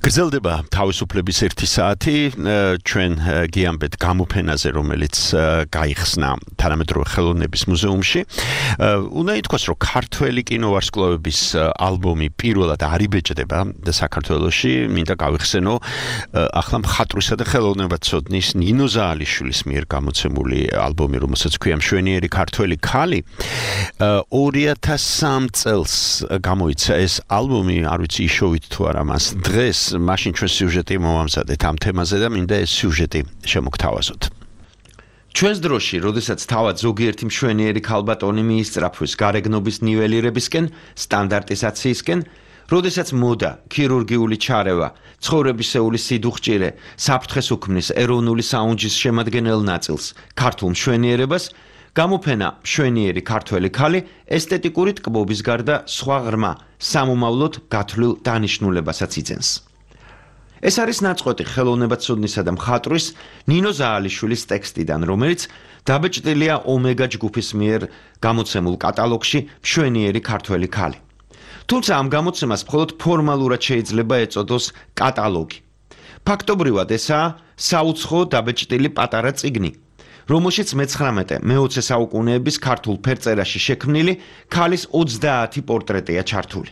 გრძელდება თავისუფლების ერთი საათი ჩვენ გიამბეთ გამოფენაზე რომელიც გაიხსნა თანამედროვე ხელოვნების მუზეუმში. უნდა ითქვას რომ ქართველი კინოვარსკვლავების ალბომი პირველად არიბეჭდება საქართველოში. მინდა გავიხსენო ახლა მხატვრისა და ხელოვნებაცოდნის ნინო ზაალიშვილის მიერ გამოცემული ალბომი რომელსაც ქვია მშვენიერი ქართველი ქალი ორი ათას სამი წელს გამოიცა ეს ალბომი არ ვიცი იშოვით თუ არა მას დღეს მაშინ ჩვენ სიუჟეტი მოვამზადეთ ამ თემაზე და მინდა ეს სიუჟეტი შემოგთავაზოთ. ჩვენს დროში, როდესაც თავად ზოგიერთი მშვენიერი ქალბატონი მიისწრაფვის გარეგნობის ნიველირებისკენ, სტანდარტიზაციისკენ, როდესაც მოდა, ქირურგიული ჩარევა, ცხოვრებისეული სიდუხჭირე, საფრთხეს უქმნის ეროვნული საუნჯის შემადგენელ ნაწილს, ქართულ მშვენიერებას, გამოფენა მშვენიერი ქართველი ქალი ესთეტიკური ტკბობის გარდა სხვა ღრმა, სამომავლოდ გათვლილ დანიშნულებასაც იძენს. ეს არის ნაწყვეტი ხელოვნებაცოდნისა და მხატვრის ნინო ზაალიშვილის ტექსტიდან, რომელიც დაბეჭდილია ომეგა ჯგუფის მიერ გამოცემულ კატალოგში მშვენიერი ქართველი ქალი. თუმცა ამ გამოცემას მხოლოდ ფორმალურად შეიძლება ეწოდოს კატალოგი. ფაქტობრივად ესაა საუცხო დაბეჭდილი პატარა წიგნი, რომელშიც მეცხრამეტე მეოცე საუკუნეების ქართულ ფერწერაში შექმნილი ქალის ოცდაათი პორტრეტია ჩართული.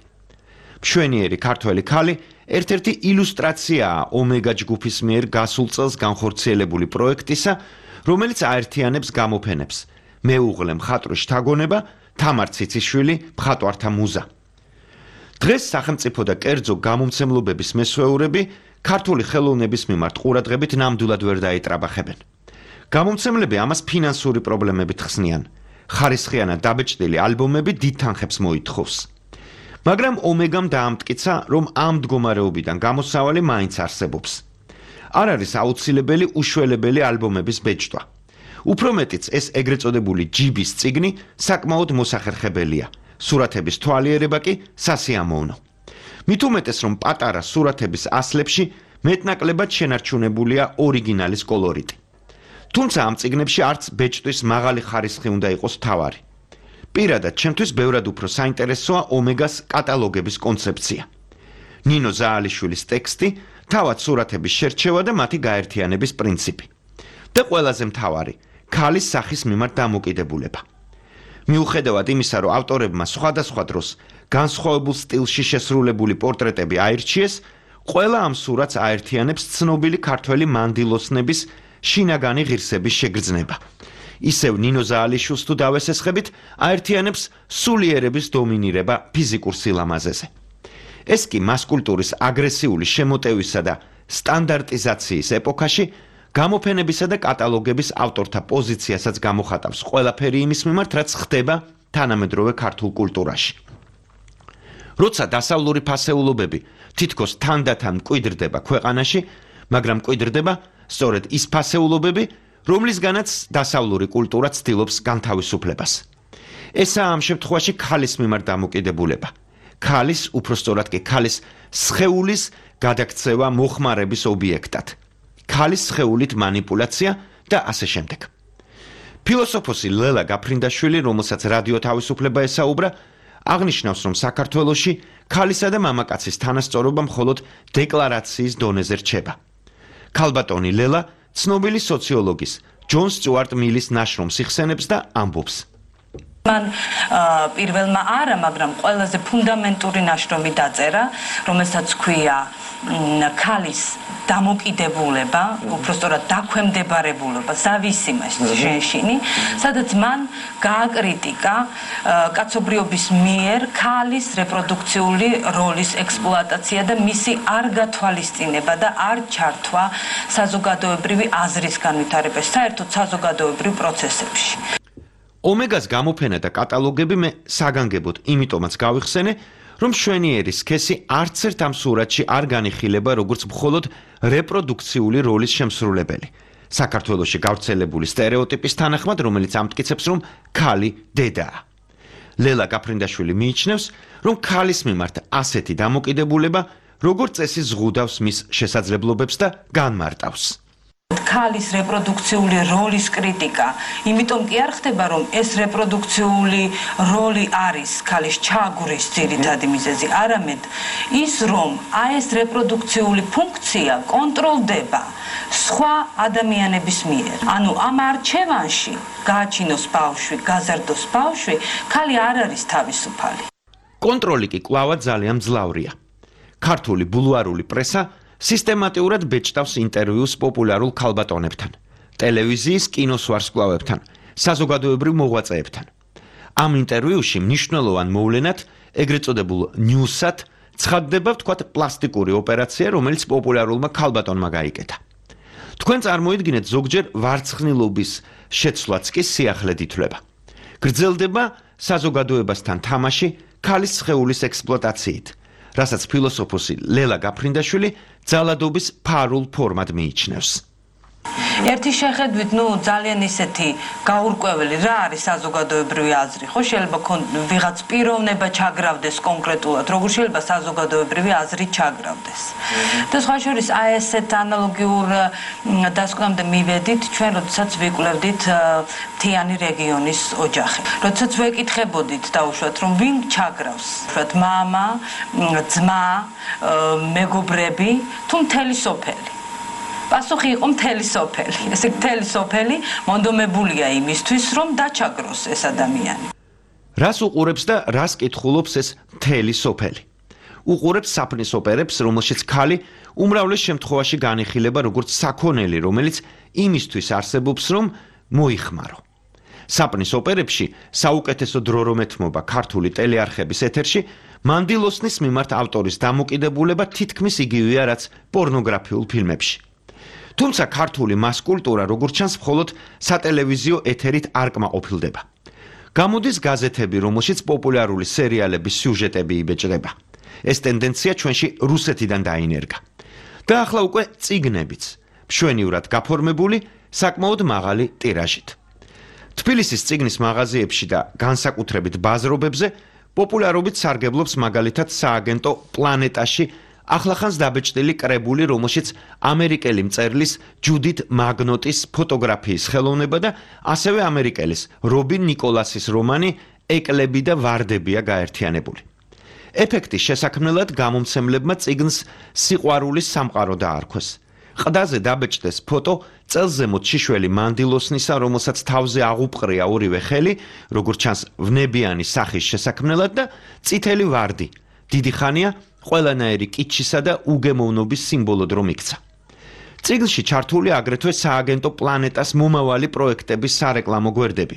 მშვენიერი ქართველი ქალი ერთ-ერთი ილუსტრაციაა ომეგა ჯგუფის მიერ გასულ წელს განხორციელებული პროექტისა, რომელიც აერთიანებს გამოფენებს მეუღლე მხატვრის შთაგონება, თამარ ციციშვილი, მხატვართა მუზა. დღეს სახელმწიფო და კერძო გამომცემლობების მესვეურები ქართული ხელოვნების მიმართ ყურადღებით ნამდვილად ვერ დაეტრაბახებენ. გამომცემლები ამას ფინანსური პრობლემებით ხსნიან. ხარისხიანად დაბეჭდილი ალბომები დიდ თანხებს მოითხოვს. მაგრამ ომეგამ დაამტკიცა, რომ ამ მდგომარეობიდან გამოსავალი მაინც არსებობს. არ არის აუცილებელი უშველებელი ალბომების ბეჭდვა. უფრო მეტიც ეს ეგრეთ წოდებული ჯიბის წიგნი საკმაოდ მოსახერხებელია. სურათების თვალიერება კი სასიამოვნო. მით უმეტეს, რომ პატარა სურათების ასლებში მეტნაკლებად შენარჩუნებულია ორიგინალის კოლორიტი. თუმცა ამ წიგნებში არც ბეჭდვის მაღალი ხარისხი უნდა იყოს მთავარი. პირადად ჩემთვის ბევრად უფრო საინტერესოა ომეგას კატალოგების კონცეფცია. ნინო ზაალიშვილის ტექსტი, თავად სურათების შერჩევა და მათი გაერთიანების პრინციპი. და ყველაზე მთავარი, ქალის სახის მიმართ დამოკიდებულება. მიუხედავად იმისა, რომ ავტორებმა სხვადასხვა დროს განსხვავებულ სტილში შესრულებული პორტრეტები აირჩიეს, ყველა ამ სურათს აერთიანებს ცნობილი ქართველი მანდილოსნების შინაგანი ღირსების შეგრძნება. ისევ ნინო ზაალიშვილს თუ დავესესხებით, აერთიანებს სულიერების დომინირება ფიზიკურ სილამაზეზე. ეს კი მასკულტურის აგრესიული შემოტევისა და სტანდარტიზაციის ეპოქაში გამოფენებისა და კატალოგების ავტორთა პოზიციასაც გამოხატავს ყველაფერი იმის მიმართ, რაც ხდება თანამედროვე ქართულ კულტურაში. როცა დასავლური ფასეულობები თითქოს თანდათან მკვიდრდება ქვეყანაში, მაგრამ მკვიდრდება სწორედ ის ფასეულობები, რომლისგანაც დასავლური კულტურა ცდილობს განთავისუფლებას. ესაა ამ შემთხვევაში ქალის მიმართ დამოკიდებულება. ქალის, უფრო სწორად კი ქალის სხეულის გადაქცევა მოხმარების ობიექტად. ქალის სხეულით манипуляცია და ასე შემდეგ. ფილოსოფოსი ლელა გაფრინდაშვილი, რომელსაც რადიო თავისუფლება ესაუბრა, აღნიშნავს, რომ საქართველოში ქალისა და მამაკაცის თანასწორობა მხოლოდ დეკლარაციის დონეზე რჩება. ქალბატონი ლელა ცნობილი სოციოლოგის ჯონ სტიუარტ მილის ნაშრომს იხსენებს და ამბობს. მან პირველმა არა, მაგრამ ყველაზე ფუნდამენტური ნაშრომი დაწერა, რომელსაც ქვია ქალის დამოკიდებულება, უბრალოდ დაქვემდებარებულება, зависимость женщины, სადაც მან გააკრიტიკა კაცობრიობის მიერ ქალის რეპროდუქციული როლის ექსპლუატაცია და მისი არ გათვალისწინება და არ ჩართვა საზოგადოებრივი აზრის განვითარებას, საერთოდ საზოგადოებრივ პროცესებში. ომეგას გამოფენა და კატალოგები მე საგანგებოდ იმიტომაც გავიხსენე, რომ მშვენიერის სქესი არც ერთ ამ სურათში არ განიხილება როგორც მხოლოდ რეპროდუქციული როლის შემსრულებელი. საქართველოში გავრცელებული სტერეოტიპის თანახმად, რომელიც ამტკიცებს, რომ ქალი დედაა. ლელა გაფრინდაშვილი მიიჩნევს, რომ ქალის მიმართ ასეთი დამოკიდებულება როგორც წესი ზღუდავს მის შესაძლებლობებს და განმარტავს. ქალის რეპროდუქციული როლის კრიტიკა, იმიტომ კი არ ხდება, რომ ეს რეპროდუქციული როლი არის ქალის ჩაგვრის ძირითადი მიზეზი, არამედ ის, რომ აი ეს რეპროდუქციული ფუნქცია კონტროლდება სხვა ადამიანების მიერ. ანუ ამ არჩევანში გააჩინოს ბავშვი, გაზარდოს ბავშვი, ქალი არ არის თავისუფალი. კონტროლი კი კვლავად ძალიან მძლავრია. ქართული ბულვარული პრესა სისტემატურად ბეჭდავს ინტერვიუს პოპულარულ ქალბატონებთან, ტელევიზიის კინოს ვარსკვლავებთან, საზოგადოებრივ მოღვაწეებთან. ამ ინტერვიუში მნიშვნელოვან მოვლენად, ეგრეთ წოდებულ ნიუსად, ცხადდება ვთქვათ პლასტიკური ოპერაცია, რომელიც პოპულარულმა ქალბატონმა გაიკეთა. თქვენ წარმოიდგინეთ ზოგჯერ ვარცხნილობის შეცვლაც კი სიახლედ ითვლება. გრძელდება საზოგადოებასთან თამაში ქალის სხეულის ექსპლუატაციით, რასაც ფილოსოფოსი ლელა გაფრინდაშვილი ძალადობის ფარულ ფორმად მიიჩნევს. ერთი შეხედვით, ნუ ძალიან ისეთი გაურკვეველი რა არის საზოგადოებრივი აზრი, ხო შეიძლება ვიღაც პიროვნება ჩაგრავდეს კონკრეტულად, როგორ შეიძლება საზოგადოებრივი აზრი ჩაგრავდეს. და სხვა შორის აი ესეთ ანალოგიურ დასკვნამდე მივედით ჩვენ, როდესაც ვიკვლევდით მთიანი რეგიონის ოჯახი. როდესაც ვეკითხებოდით დაუშვათ, რომ ვინ ჩაგრავს, ვთქვათ, მამა, ძმა, მეგობრები, თუ მთელი სოფელი. პასუხი იყო მთელი სოფელი. ესე მთელი სოფელი მონდომებულია იმისთვის, რომ დაჩაგროს ეს ადამიანი. რას უყურებს და რას კითხულობს ეს მთელი სოფელი? უყურებს საფნის ოპერებს, რომელშიც ქალი უმრავლეს შემთხვევაში განიხილება როგორც საქონელი, რომელიც იმისთვის არსებობს, რომ მოიხმარო. საფნის ოპერებში საუკეთესო დრო რომ ეთმობა ქართული ტელეარხების ეთერში, მანდილოსნის მიმართ ავტორის დამოკიდებულება თითქმის იგივეა, რაც პორნოგრაფიულ ფილმებში. თუმცა ქართული მას-კულტურა, როგორც ჩანს, მხოლოდ სატელევიზიო ეთერით არ კმაყოფილდება. გამოდის გაზეთები, რომელშიც პოპულარული სერიალების სიუჟეტები იბეჭდება. ეს ტენდენცია ჩვენში რუსეთიდან დაინერგა. და ახლა უკვე წიგნებიც, მშვენივრად გაფორმებული, საკმაოდ მაღალი ტირაჟით. თბილისის წიგნის მაღაზიებში და განსაკუთრებით ბაზრობებზე პოპულარობით სარგებლობს მაგალითად სააგენტო პლანეტაში ახლახანს დაბეჭდილი კრებული, რომელშიც ამერიკელი მწერლის ჯუდით მაგნოტის ფოტოგრაფიის ხელოვნება და ასევე ამერიკელის რობინ ნიკოლასის რომანი ეკლები და ვარდებია გაერთიანებული. ეფექტის შესაქმნელად გამომცემლებმა წიგნს სიყვარულის სამყარო დაარქვეს. ყდაზე დაბეჭდეს ფოტო წელზემოთ შიშველი მანდილოსნისა, რომელსაც თავზე აღუპყრია ორივე ხელი, როგორც ჩანს ვნებიანი სახის შესაქმნელად და წითელი ვარდი. დიდი ხანია ყველანაირი კიჩისა და უგემოვნობის სიმბოლოდ რომ იქცა. წიგნში ჩართული აგრეთვე სააგენტო პლანეტას მომავალი პროექტების სარეკლამო გვერდები,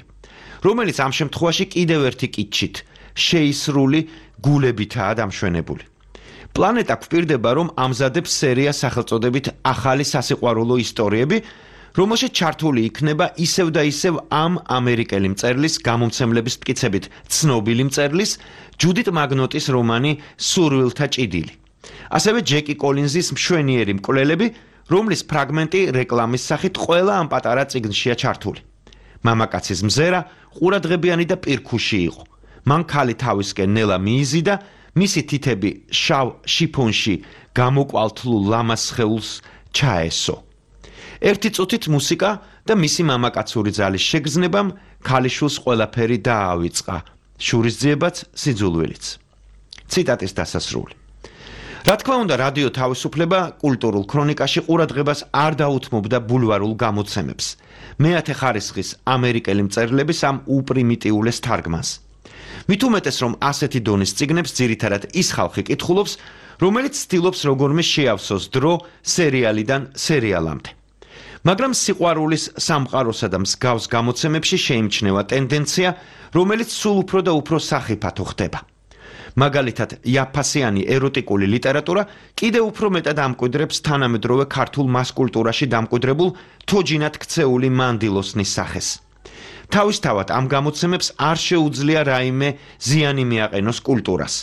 რომელიც ამ შემთხვევაში კიდევ ერთი კიჩით, შეისრული გულებითაა დამშვენებული. პლანეტა გვპირდება, რომ ამზადებს სერია სახელწოდებით ახალი სასიყვარულო ისტორიები, რომელშიც ჩართული იქნება ისევ და ისევ ამ ამერიკელი მწერლის გამომცემლების მტკიცებით ცნობილი მწერლის ჯუდით მაგნოტის რომანი სურვილთა ჭიდილი. ასევე ჯეკი კოლინზის მშვენიერი მკვლელები, რომლის ფრაგმენტი რეკლამის სახით ყველა ამ პატარა წიგნშია ჩართული. მამაკაცის მზერა ყურადღებიანი და პირქუში იყო. მან ქალი თავისკენ ნელა მიიზიდა, მისი თითები შავ შიფონში გამოკვალთლულ ლამას სხეულს ჩაესო. ერთი წუთით მუსიკა და მისი მამაკაცური ძალის შეგრძნებამ ქალიშვილს ყველაფერი დაავიწყა, შურისძიებაც სიძულვილიც. ციტატის დასასრული. რა თქმა უნდა, რადიო თავისუფლება კულტურულ ქრონიკაში ყურადღებას არ დაუთმობდა ბულვარულ გამოცემებს, მეათე ხარისხის ამერიკელი მწერლების ამ უპრიმიტიულეს თარგმანს. მით უმეტეს, რომ ასეთი დონის წიგნებს ძირითადად ის ხალხი კითხულობს, რომელიც ცდილობს როგორმე შეავსოს დრო სერიალიდან სერიალამდე. მაგრამ სიყვარულის სამყაროსა და მსგავს გამოცემებში შეიმჩნევა ტენდენცია, რომელიც სულ უფრო და უფრო სახიფათო ხდება. მაგალითად, იაფასიანი ეროტიკული ლიტერატურა კიდევ უფრო მეტად ამკვიდრებს თანამედროვე ქართულ მას-კულტურაში დამკვიდრებულ თოჯინად ქცეული მანდილოსნის სახეს. თავისთავად ამ გამოცემებს არ შეუძლია რაიმე ზიანი მიაყენოს კულტურას.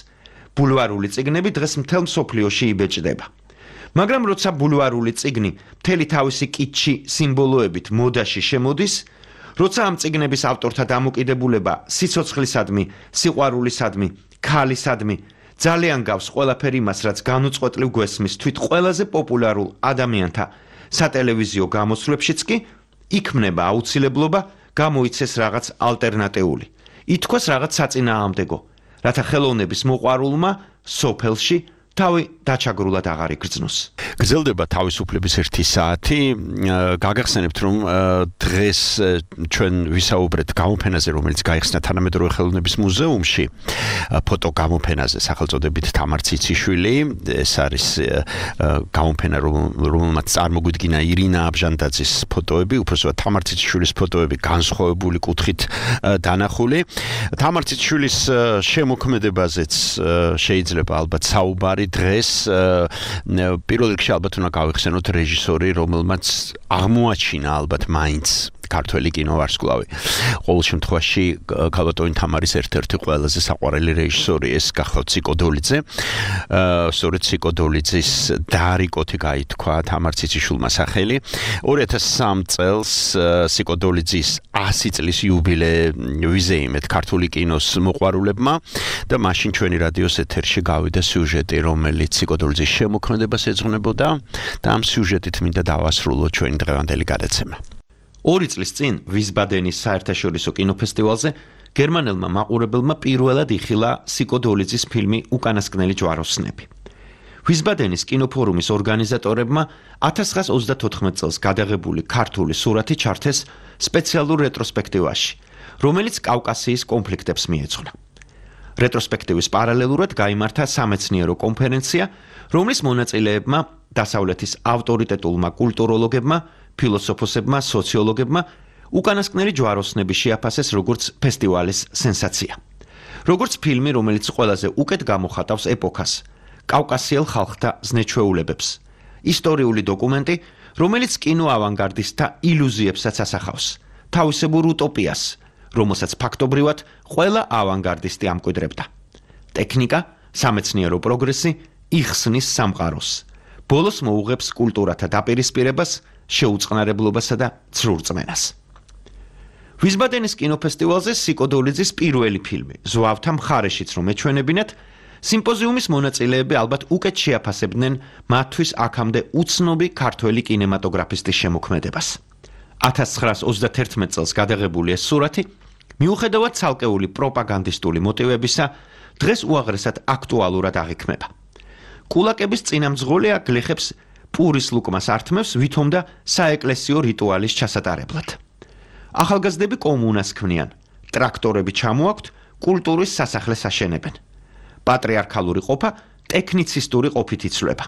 ბულვარული წიგნები დღეს მთელ მსოფლიოში იბეჭდება. მაგრამ როცა ბულვარული წიგნი მთელი თავისი კიჩი სიმბოლოებით მოდაში შემოდის, როცა ამ წიგნების ავტორთა დამოკიდებულება სიცოცხლისადმი, სიყვარულისადმი, ქალისადმი ძალიან გავს ყველაფერი იმას, რაც განუწყვეტლივ გვესმის თვით ყველაზე პოპულარულ ადამიანთა სატელევიზიო გამოსვლებშიც კი იქმნება აუცილებლობა გამოიცეს რაღაც ალტერნატიული. ითქვას რაღაც საწინააღმდეგო, რათა ხელოვნების მოყვარულმა სოფელში თავი დაჩაგრულად აღარ იგრძნოს. გრძელდება თავისუფლების ერთი საათი. გაგახსენებთ, რომ დღეს ჩვენ ვისაუბრეთ გამოფენაზე, რომელიც გაიხსნა თანამედროვე ხელოვნების მუზეუმში, ფოტო გამოფენაზე, სახელწოდებით თამარ ციციშვილი. ეს არის გამოფენა, რომელმაც წარმოგვიდგინა ირინა აბჟანდაძის ფოტოები, უბრალოდ თამარ ციციშვილის ფოტოები განსხვავებული კუთხით დანახული. თამარ ციციშვილის შემოქმედებაზეც შეიძლება ალბათ საუბარი დღეს. პირველ რიგში ალბათ უნდა გავიხსენოთ რეჟისორი, რომელმაც აღმოაჩინა ალბათ მაინც ქართველი კინოვარსკვლავი. ყოველ შემთხვევაში ქალბატონი თამარის ერთ-ერთი ყველაზე საყვარელი რეჟისორი ეს გახლავთ ციკო დოლიძე. სწორედ ციკო დოლიძის დაარიკოთი გაითქვა თამარ ციციშვილმა სახელი. ორი ათას სამ წელს ციკო დოლიძის ასი წლის იუბილე ვიზეიმეთ ქართული კინოს მოყვარულებმა და მაშინ ჩვენი რადიოს ეთერში გავიდა სიუჟეტი, რომელიც ციკო დოლიძის შემოქმედებას ეძღვნებოდა და ამ სიუჟეტით მინდა დავასრულოთ ჩვენი დღევანდელი გადაცემა. ორი წლის წინ ვისბადენის საერთაშორისო კინოფესტივალზე გერმანელმა მაყურებელმა პირველად იხილა ციკო დოლიძის ფილმი უკანასკნელი ჯვაროსნები. ვისბადენის კინოფორუმის ორგანიზატორებმა ათას ცხრაას ოცდათოთხმეტ წელს გადაღებული ქართული სურათი ჩართეს სპეციალურ რეტროსპექტივაში, რომელიც კავკასიის კონფლიქტებს მიეძღვნა. რეტროსპექტივის პარალელურად გაიმართა სამეცნიერო კონფერენცია, რომლის მონაწილეებმა დასავლეთის ავტორიტეტულმა კულტუროლოგებმა, ფილოსოფოსებმა, სოციოლოგებმა უკანასკნელი ჯვაროსნები შეაფასეს როგორც ფესტივალის სენსაცია. როგორც ფილმი, რომელიც ყველაზე უკეთ გამოხატავს ეპოქას, კავკასიელ ხალხთა ზნეჩვეულებებს. ისტორიული დოკუმენტი, რომელიც კინო ავანგარდისტთა ილუზიებსაც ასახავს, თავისებურ უტოპიას, რომელსაც ფაქტობრივად ყველა ავანგარდისტი ამკვიდრებდა. ტექნიკა, სამეცნიერო პროგრესი იხსნის სამყაროს. ბოლოს მოუღებს კულტურათა დაპირისპირებას, შეუწყნარებლობასა და ცრურწმენას. ვისბადენის კინოფესტივალზე ციკო დოლიძის პირველი ფილმი, ზვავთა მხარეშიც რომ ეჩვენებინათ, სიმპოზიუმის მონაწილეები ალბათ უკეთ შეაფასებდნენ მათთვის აქამდე უცნობი ქართველი კინემატოგრაფისტის შემოქმედებას. ათას ცხრაას ოცდაათერთმეტ წელს გადაღებული ეს სურათი, მიუხედავად ცალკეული პროპაგანდისტული მოტივებისა, დღეს უაღრესად აქტუალურად აღიქმება. კულაკების წინამძღოლია გლეხებს პურის ლუკმას ართმევს ვითომ და საეკლესიო რიტუალის ჩასატარებლად. ახალგაზრდები კომუნას ქმნიან, ტრაქტორები ჩამოაქვთ, კულტურის სასახლეს აშენებენ. პატრიარქალური ყოფა ტექნიცისტური ყოფით იცვლება.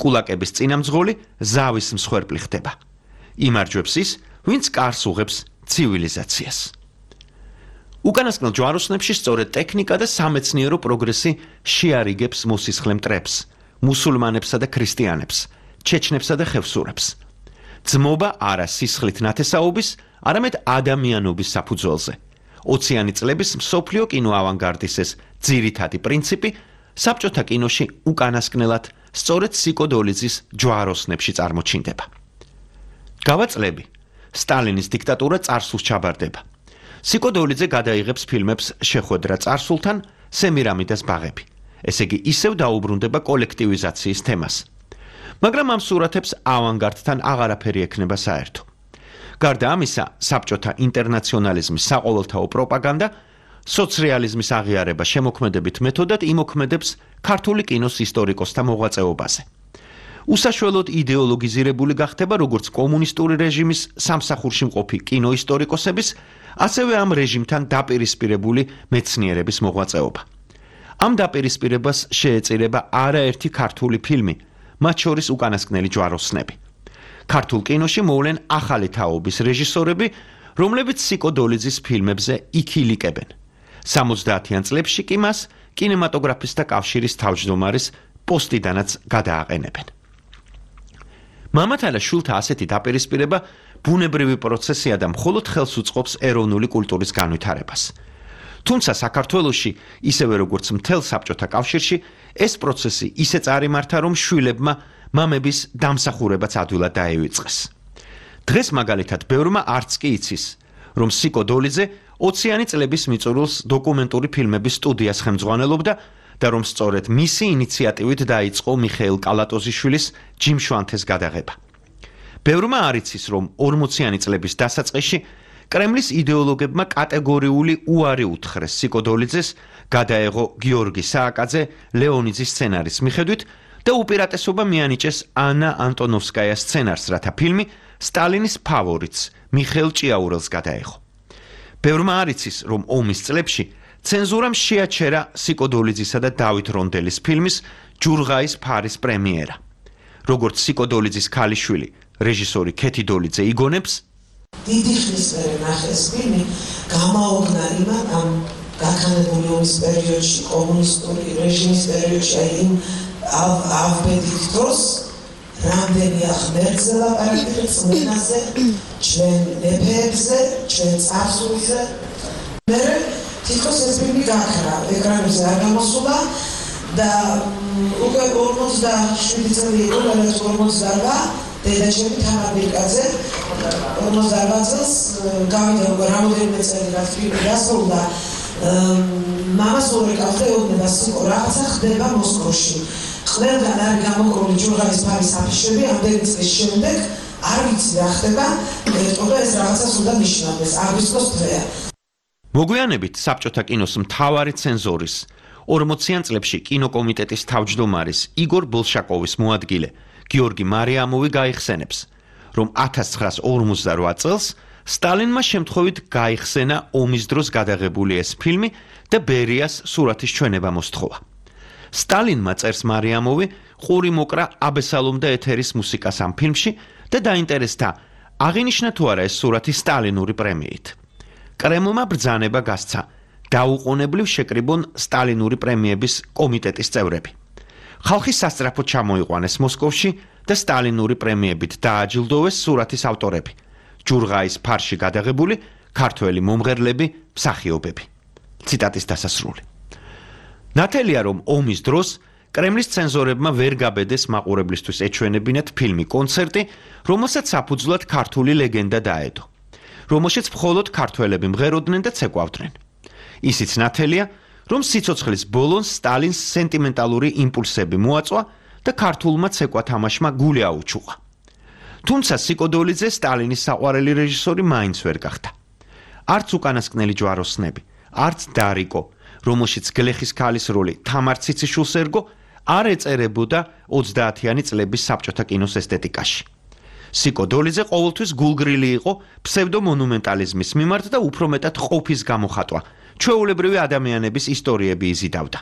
კულაკების წინამძღოლი ზავის მსხვერპლი ხდება. იმარჯვებს ის, ვინც კარს უღებს ცივილიზაციას. უკანასკნელ ჯვაროსნებში სწორედ ტექნიკა და სამეცნიერო პროგრესი შეარიგებს მოსისხლე მტრებს, მუსულმანებსა და ქრისტიანებს, ჩეჩნებსა და ხევსურებს. ძმობა არა სისხლით ნათესაობის, არამედ ადამიანობის საფუძველზე. ოციანი წლების მსოფლიო კინო ავანგარდის ეს ძირითადი პრინციპი საბჭოთა კინოში უკანასკნელად სწორედ ციკო დოლიძის ჯვაროსნებში წარმოჩინდება. გავა წლები, სტალინის დიქტატურა წარსულს ჩაბარდება. ციკო დოლიძე გადაიღებს ფილმებს შეხვედრა წარსულთან, სემირამიდას ბაღები. ესე იგი ისევ დაუბრუნდება კოლექტივიზაციის თემას. მაგრამ ამ სურათებს ავანგარდთან აღარაფერი ექნება საერთო. გარდა ამისა, საბჭოთა ინტერნაციონალიზმის საყოველთაო პროპაგანდა, სოციალიზმის აღიარება შემოქმედებით მეთოდად იმოქმედებს ქართული კინოს ისტორიკოსთა მოღვაწეობაზე. უსაშველოდ იდეოლოგიზირებული გახდება როგორც კომუნისტური რეჟიმის სამსახურში მყოფი კინოისტორიკოსების, ასევე ამ რეჟიმთან დაპირისპირებული მეცნიერების მოღვაწეობა. ამ დაპირისპირებას შეეწირება არაერთი ქართული ფილმი, მათ შორის უკანასკნელი ჯვაროსნები. ქართულ კინოში მოვლენ ახალი თაობის რეჟისორები, რომლებიც ციკო დოლიძის ფილმებზე იქილიკებენ. სამოცდაათიან წლებში კი მას კინემატოგრაფისტთა კავშირის თავმჯდომარის პოსტიდანაც გადააყენებენ. მამათა და შვილთა ასეთი დაპირისპირება ბუნებრივი პროცესია და მხოლოდ ხელს უწყობს ეროვნული კულტურის განვითარებას. თუმცა საქართველოში, ისევე როგორც მთელ საბჭოთა კავშირში, ეს პროცესი ისე წარიმართა, რომ შვილებმა მამების დამსახურებაც ადვილად დაივიწყეს. დღეს მაგალითად ბევრმა არც კი იცის, რომ ციკო დოლიძე ოციანი წლების მიწურულს დოკუმენტური ფილმების სტუდიას ხელმძღვანელობდა და რომ სწორედ მისი ინიციატივით დაიწყო მიხეილ კალატოზიშვილის ჯიმშვანთეს გადაღება. ბევრმა არ იცის, რომ ორმოციანი წლების დასაწყისში კრემლის იდეოლოგებმა კატეგორიული უარი უთხრეს ციკო დოლიძეს, გადაეღო გიორგი სააკაძე ლეონიძის სცენარის მიხედვით, და უპირატესობა მიანიჭეს ანა ანტონოვსკაიას სცენარს, რათა ფილმი სტალინის ფავორიტს მიხეილ ჭიაურელს გადაეხო. ბევრმა არ იცის, რომ ომის წლებში ცენზურამ შეაჩერა სიკოდოლიძისა და დავით რონდელის ფილმის ჯურღაის ფარის პრემიერა. როგორც სიკოდოლიძის ქალიშვილი, რეჟისორი ქეთი დოლიძე იგონებს, დიდი ხნის მერე ნახეს ფილმი გამაოგნა იმან ამ გაქანებული ომის პერიოდში, კომუნისტური რეჟიმის პერიოდში, აი იმ ავბედით დროს რამდენი ახმერთზე ლაპარაკი წმენაზე, ჩვენ მეფეებზე, ჩვენ წარსულზე. მე თითქოს ეს ფილმი გაქრა, ეკრანებზე არ გამოსულა და უკვე ორმოცდაშვიდი წელი იყო, რაღაც ორმოცდაოთხ დედაჩემი თამარ ბირკაძე ორმოცდაოთხ წელს გავიდა უკვე რამოდენიმე წელი რაც ფილმი დასრულდა. მამას ურეკავდა ეუბნება სიკო რაღაცა ხდება მოსკოვში. ყველგან არის გამოკრული ჯურღაის ფარის აფიშები, ამდენი წლის შემდეგ არ ვიცი რა ხდება, ეტყობა ეს რაღაცას უნდა ნიშნავდეს, აგვისტოს დღეა. მოგვიანებით საბჭოთა კინოს მთავარი ცენზორის ორმოციან წლებში კინოკომიტეტის თავმჯდომარის იგორ ბოლშაკოვის მოადგილე გიორგი მარიამოვი გაიხსენებს, რომ ათას ცხრაას ორმოცდარვა წელს სტალინმა შემთხვევით გაიხსენა ომის დროს გადაღებული ეს ფილმი და ბერიას სურათის ჩვენება მოსთხოვა. სტალინმა წერს მარიამოვი, ყური მოკრა აბესალომ და ეთერის მუსიკას ამ ფილმში და დაინტერესდა, აღინიშნა თუ არა ეს სურათი სტალინური პრემიით. კრემლმა ბრძანება გასცა, დაუყოვნებლივ შეკრიბონ სტალინური პრემიების კომიტეტის წევრები. ხალხი სასწრაფოდ ჩამოიყვანეს მოსკოვში და სტალინური პრემიებით დააჯილდოვეს სურათის ავტორები. ჯურღაის ფარში გადაღებული ქართველი მომღერლები, მსახიობები. ციტატის დასასრული. ნათელია, რომ ომის დროს კრემლის ცენზორებმა ვერ გაბედეს მაყურებლისთვის ეჩვენებინათ ფილმი კონცერტი, რომელსაც საფუძვლად ქართული ლეგენდა დაედო, რომელშიც მხოლოდ ქართველები მღეროდნენ და ცეკვავდნენ. ისიც ნათელია, რომ სიცოცხლის ბოლოს სტალინს სენტიმენტალური იმპულსები მოაწვა და ქართულმა ცეკვათამაშმა გული აუჩუყა. თუმცა სიკოდოლიძე სტალინის საყვარელი რეჟისორი მაინც ვერ გახდა. არც უკანასკნელი ჯვაროსნები, არც დარიკო, რომელშიც გლეხის ქალის როლი თამარ ციციშვილს ერგო, არ ეწერებოდა ოცდაათიანი წლების საბჭოთა კინოს ესთეტიკაში. სიკოდოლიძე ყოველთვის გულგრილი იყო ფსევდომონუმენტალიზმის მიმართ და უფრო მეტად ყოფის გამოხატვა, ჩვეულებრივი ადამიანების ისტორიები იზიდავდა.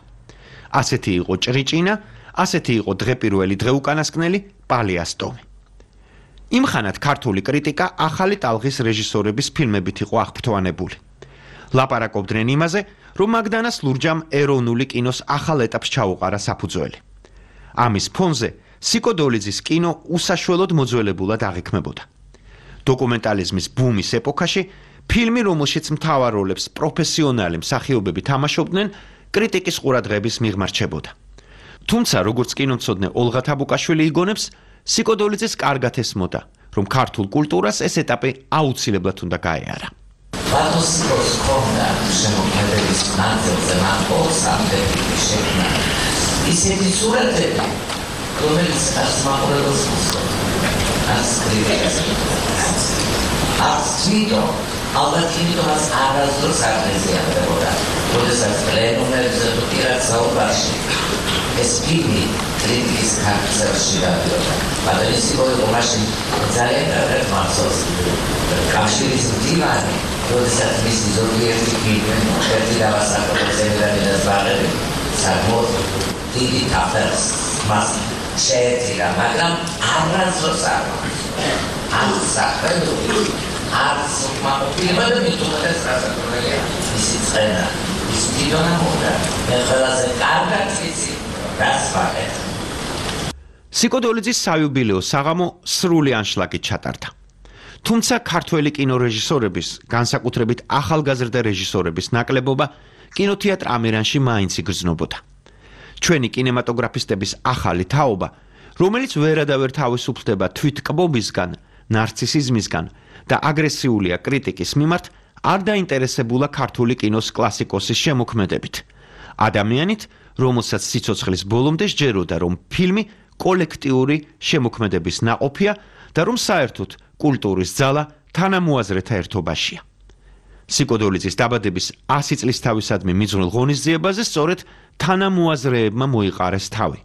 ასეთი იყო ჭრიჭინა, ასეთი იყო დღეპირველი დღეუკანასკნელი პალიასტომი. იმხანად ქართული კრიტიკა ახალი ტალღის რეჟისორების ფილმებით იყო აღფრთოვანებული. ლაპარაკობდნენ იმაზე, რომ მაგდანას ლურჯამ ეროვნული კინოს ახალ ეტაპს ჩაუყარა საფუძველი. ამის ფონზე სიკოდოლიძის კინო უსაშველოდ მოძველებულად აღიქმებოდა. დოკუმენტალიზმის ბუმის ეპოქაში ფილმი, რომელშიც მთავარ როლებს პროფესიონალი მსახიობები თამაშობდნენ, კრიტიკის ყურადღების მიღმა რჩებოდა. თუმცა, როგორც კინომცოდნე ოლღა თაბუკაშვილი იგონებს, სიკოდოლიძეს კარგად ესმოდა, რომ ქართულ კულტურას ეს ეტაპი აუცილებლად უნდა გაეარა. ბატოსიკოს ქონდა შემოქმედების ნაწილზე მათ ორსამდები შექმნა ისეთი სურათები, რომელიც არც მაყურებელს მოსწონს, არც კრიტიკას. არც თვითონ, ალბათ იმიტომაც არასდროს არ მეზიარდებოდა, როდესაც პლენუმებზე თუ პირად საუბარში ეს ფილმი კრიტიკის ქარწელში გადიოდა. ბატონისიკო იყო მაშინ ძალიან კარგად მახსოვს. კავშირის მდივანი, როდესაც მისი ზოგიერთი ფილმი, ერთი დავასახელო ზემდანი და ზვარები, საკმაოდ დიდი თაფერს მას შეეწირა, მაგრამ არასდროს არ არც სახელური, არც უკმაყოფილება და მით უმეტეს გასაკუთრებია მისი წენა, ის თვითონ ამბობდა, მე ყველაზე კარგად ვიცი, რას ვაკეთებ. სიკოდოლიძის საიუბილეო საღამო სრული ანშლაგით ჩატარდა. თუმცა ქართველი კინორეჟისორების, განსაკუთრებით ახალგაზრდა რეჟისორების ნაკლებობა კინოთეატრ ამირანში მაინც იგრძნობოდა. ჩვენი კინემატოგრაფისტების ახალი თაობა, რომელიც ვერადავერ თავისუფლდება თვითკბობისგან, ნარცისიზმისგან და აგრესიულია კრიტიკის მიმართ, არ დაინტერესებულა ქართული კინოს კლასიკოსის შემოქმედებით. ადამიანით, რომელსაც სიცოცხლის ბოლომდე სჯეროდა, რომ ფილმი კოლექტიური შემოქმედების ნაყოფია და რომ საერთოდ კულტურის ძალა თანამოაზრეთა ერთობაშია. სიკოდოლიძის დაბადების ასი წლისთავისადმი მიძღვნილ ღონისძიებაზე სწორედ თანამოაზრეებმა მოიყარეს თავი.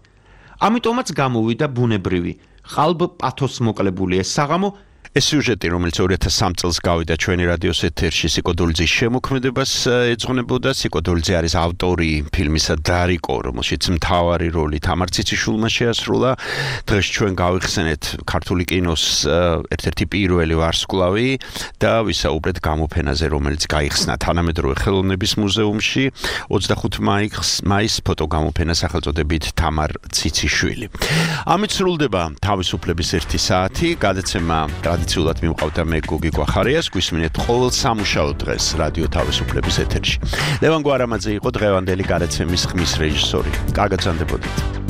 ამიტომაც გამოვიდა ბუნებრივი ყალბ პათოს მოკლებული ეს საღამო ეს სიუჟეტი, რომელიც ორი ათას სამი წელს გავიდა ჩვენი რადიოს ეთერში სიკოდულძის შემოქმედებას ეძღვნებოდა. სიკოდულძე არის ავტორი ფილმისა დარიკო, რომელშიც მთავარი როლი თამარ ციციშვილმა შეასრულა. დღეს ჩვენ გავიხსენეთ ქართული კინოს ერთ-ერთი პირველი ვარსკვლავი და ვისაუბრეთ გამოფენაზე, რომელიც გაიხსნა თანამედროვე ხელოვნების მუზეუმში ოცდახუთი მაისს ფოტოგამოფენა სახელწოდებით თამარ ციციშვილი. ამით სრულდება თავისუფლების ერთი საათი, გადაცემა ტრადიციულად მიმყავდა მე გოგი გვახარიას, გვისმინეთ ყოველ სამუშაო დღეს რადიო თავისუფლების ეთერში. ლევან გვარამაძე იყო დღევანდელი გადაცემის ხმის რეჟისორი. კარგად ზანდებოდით.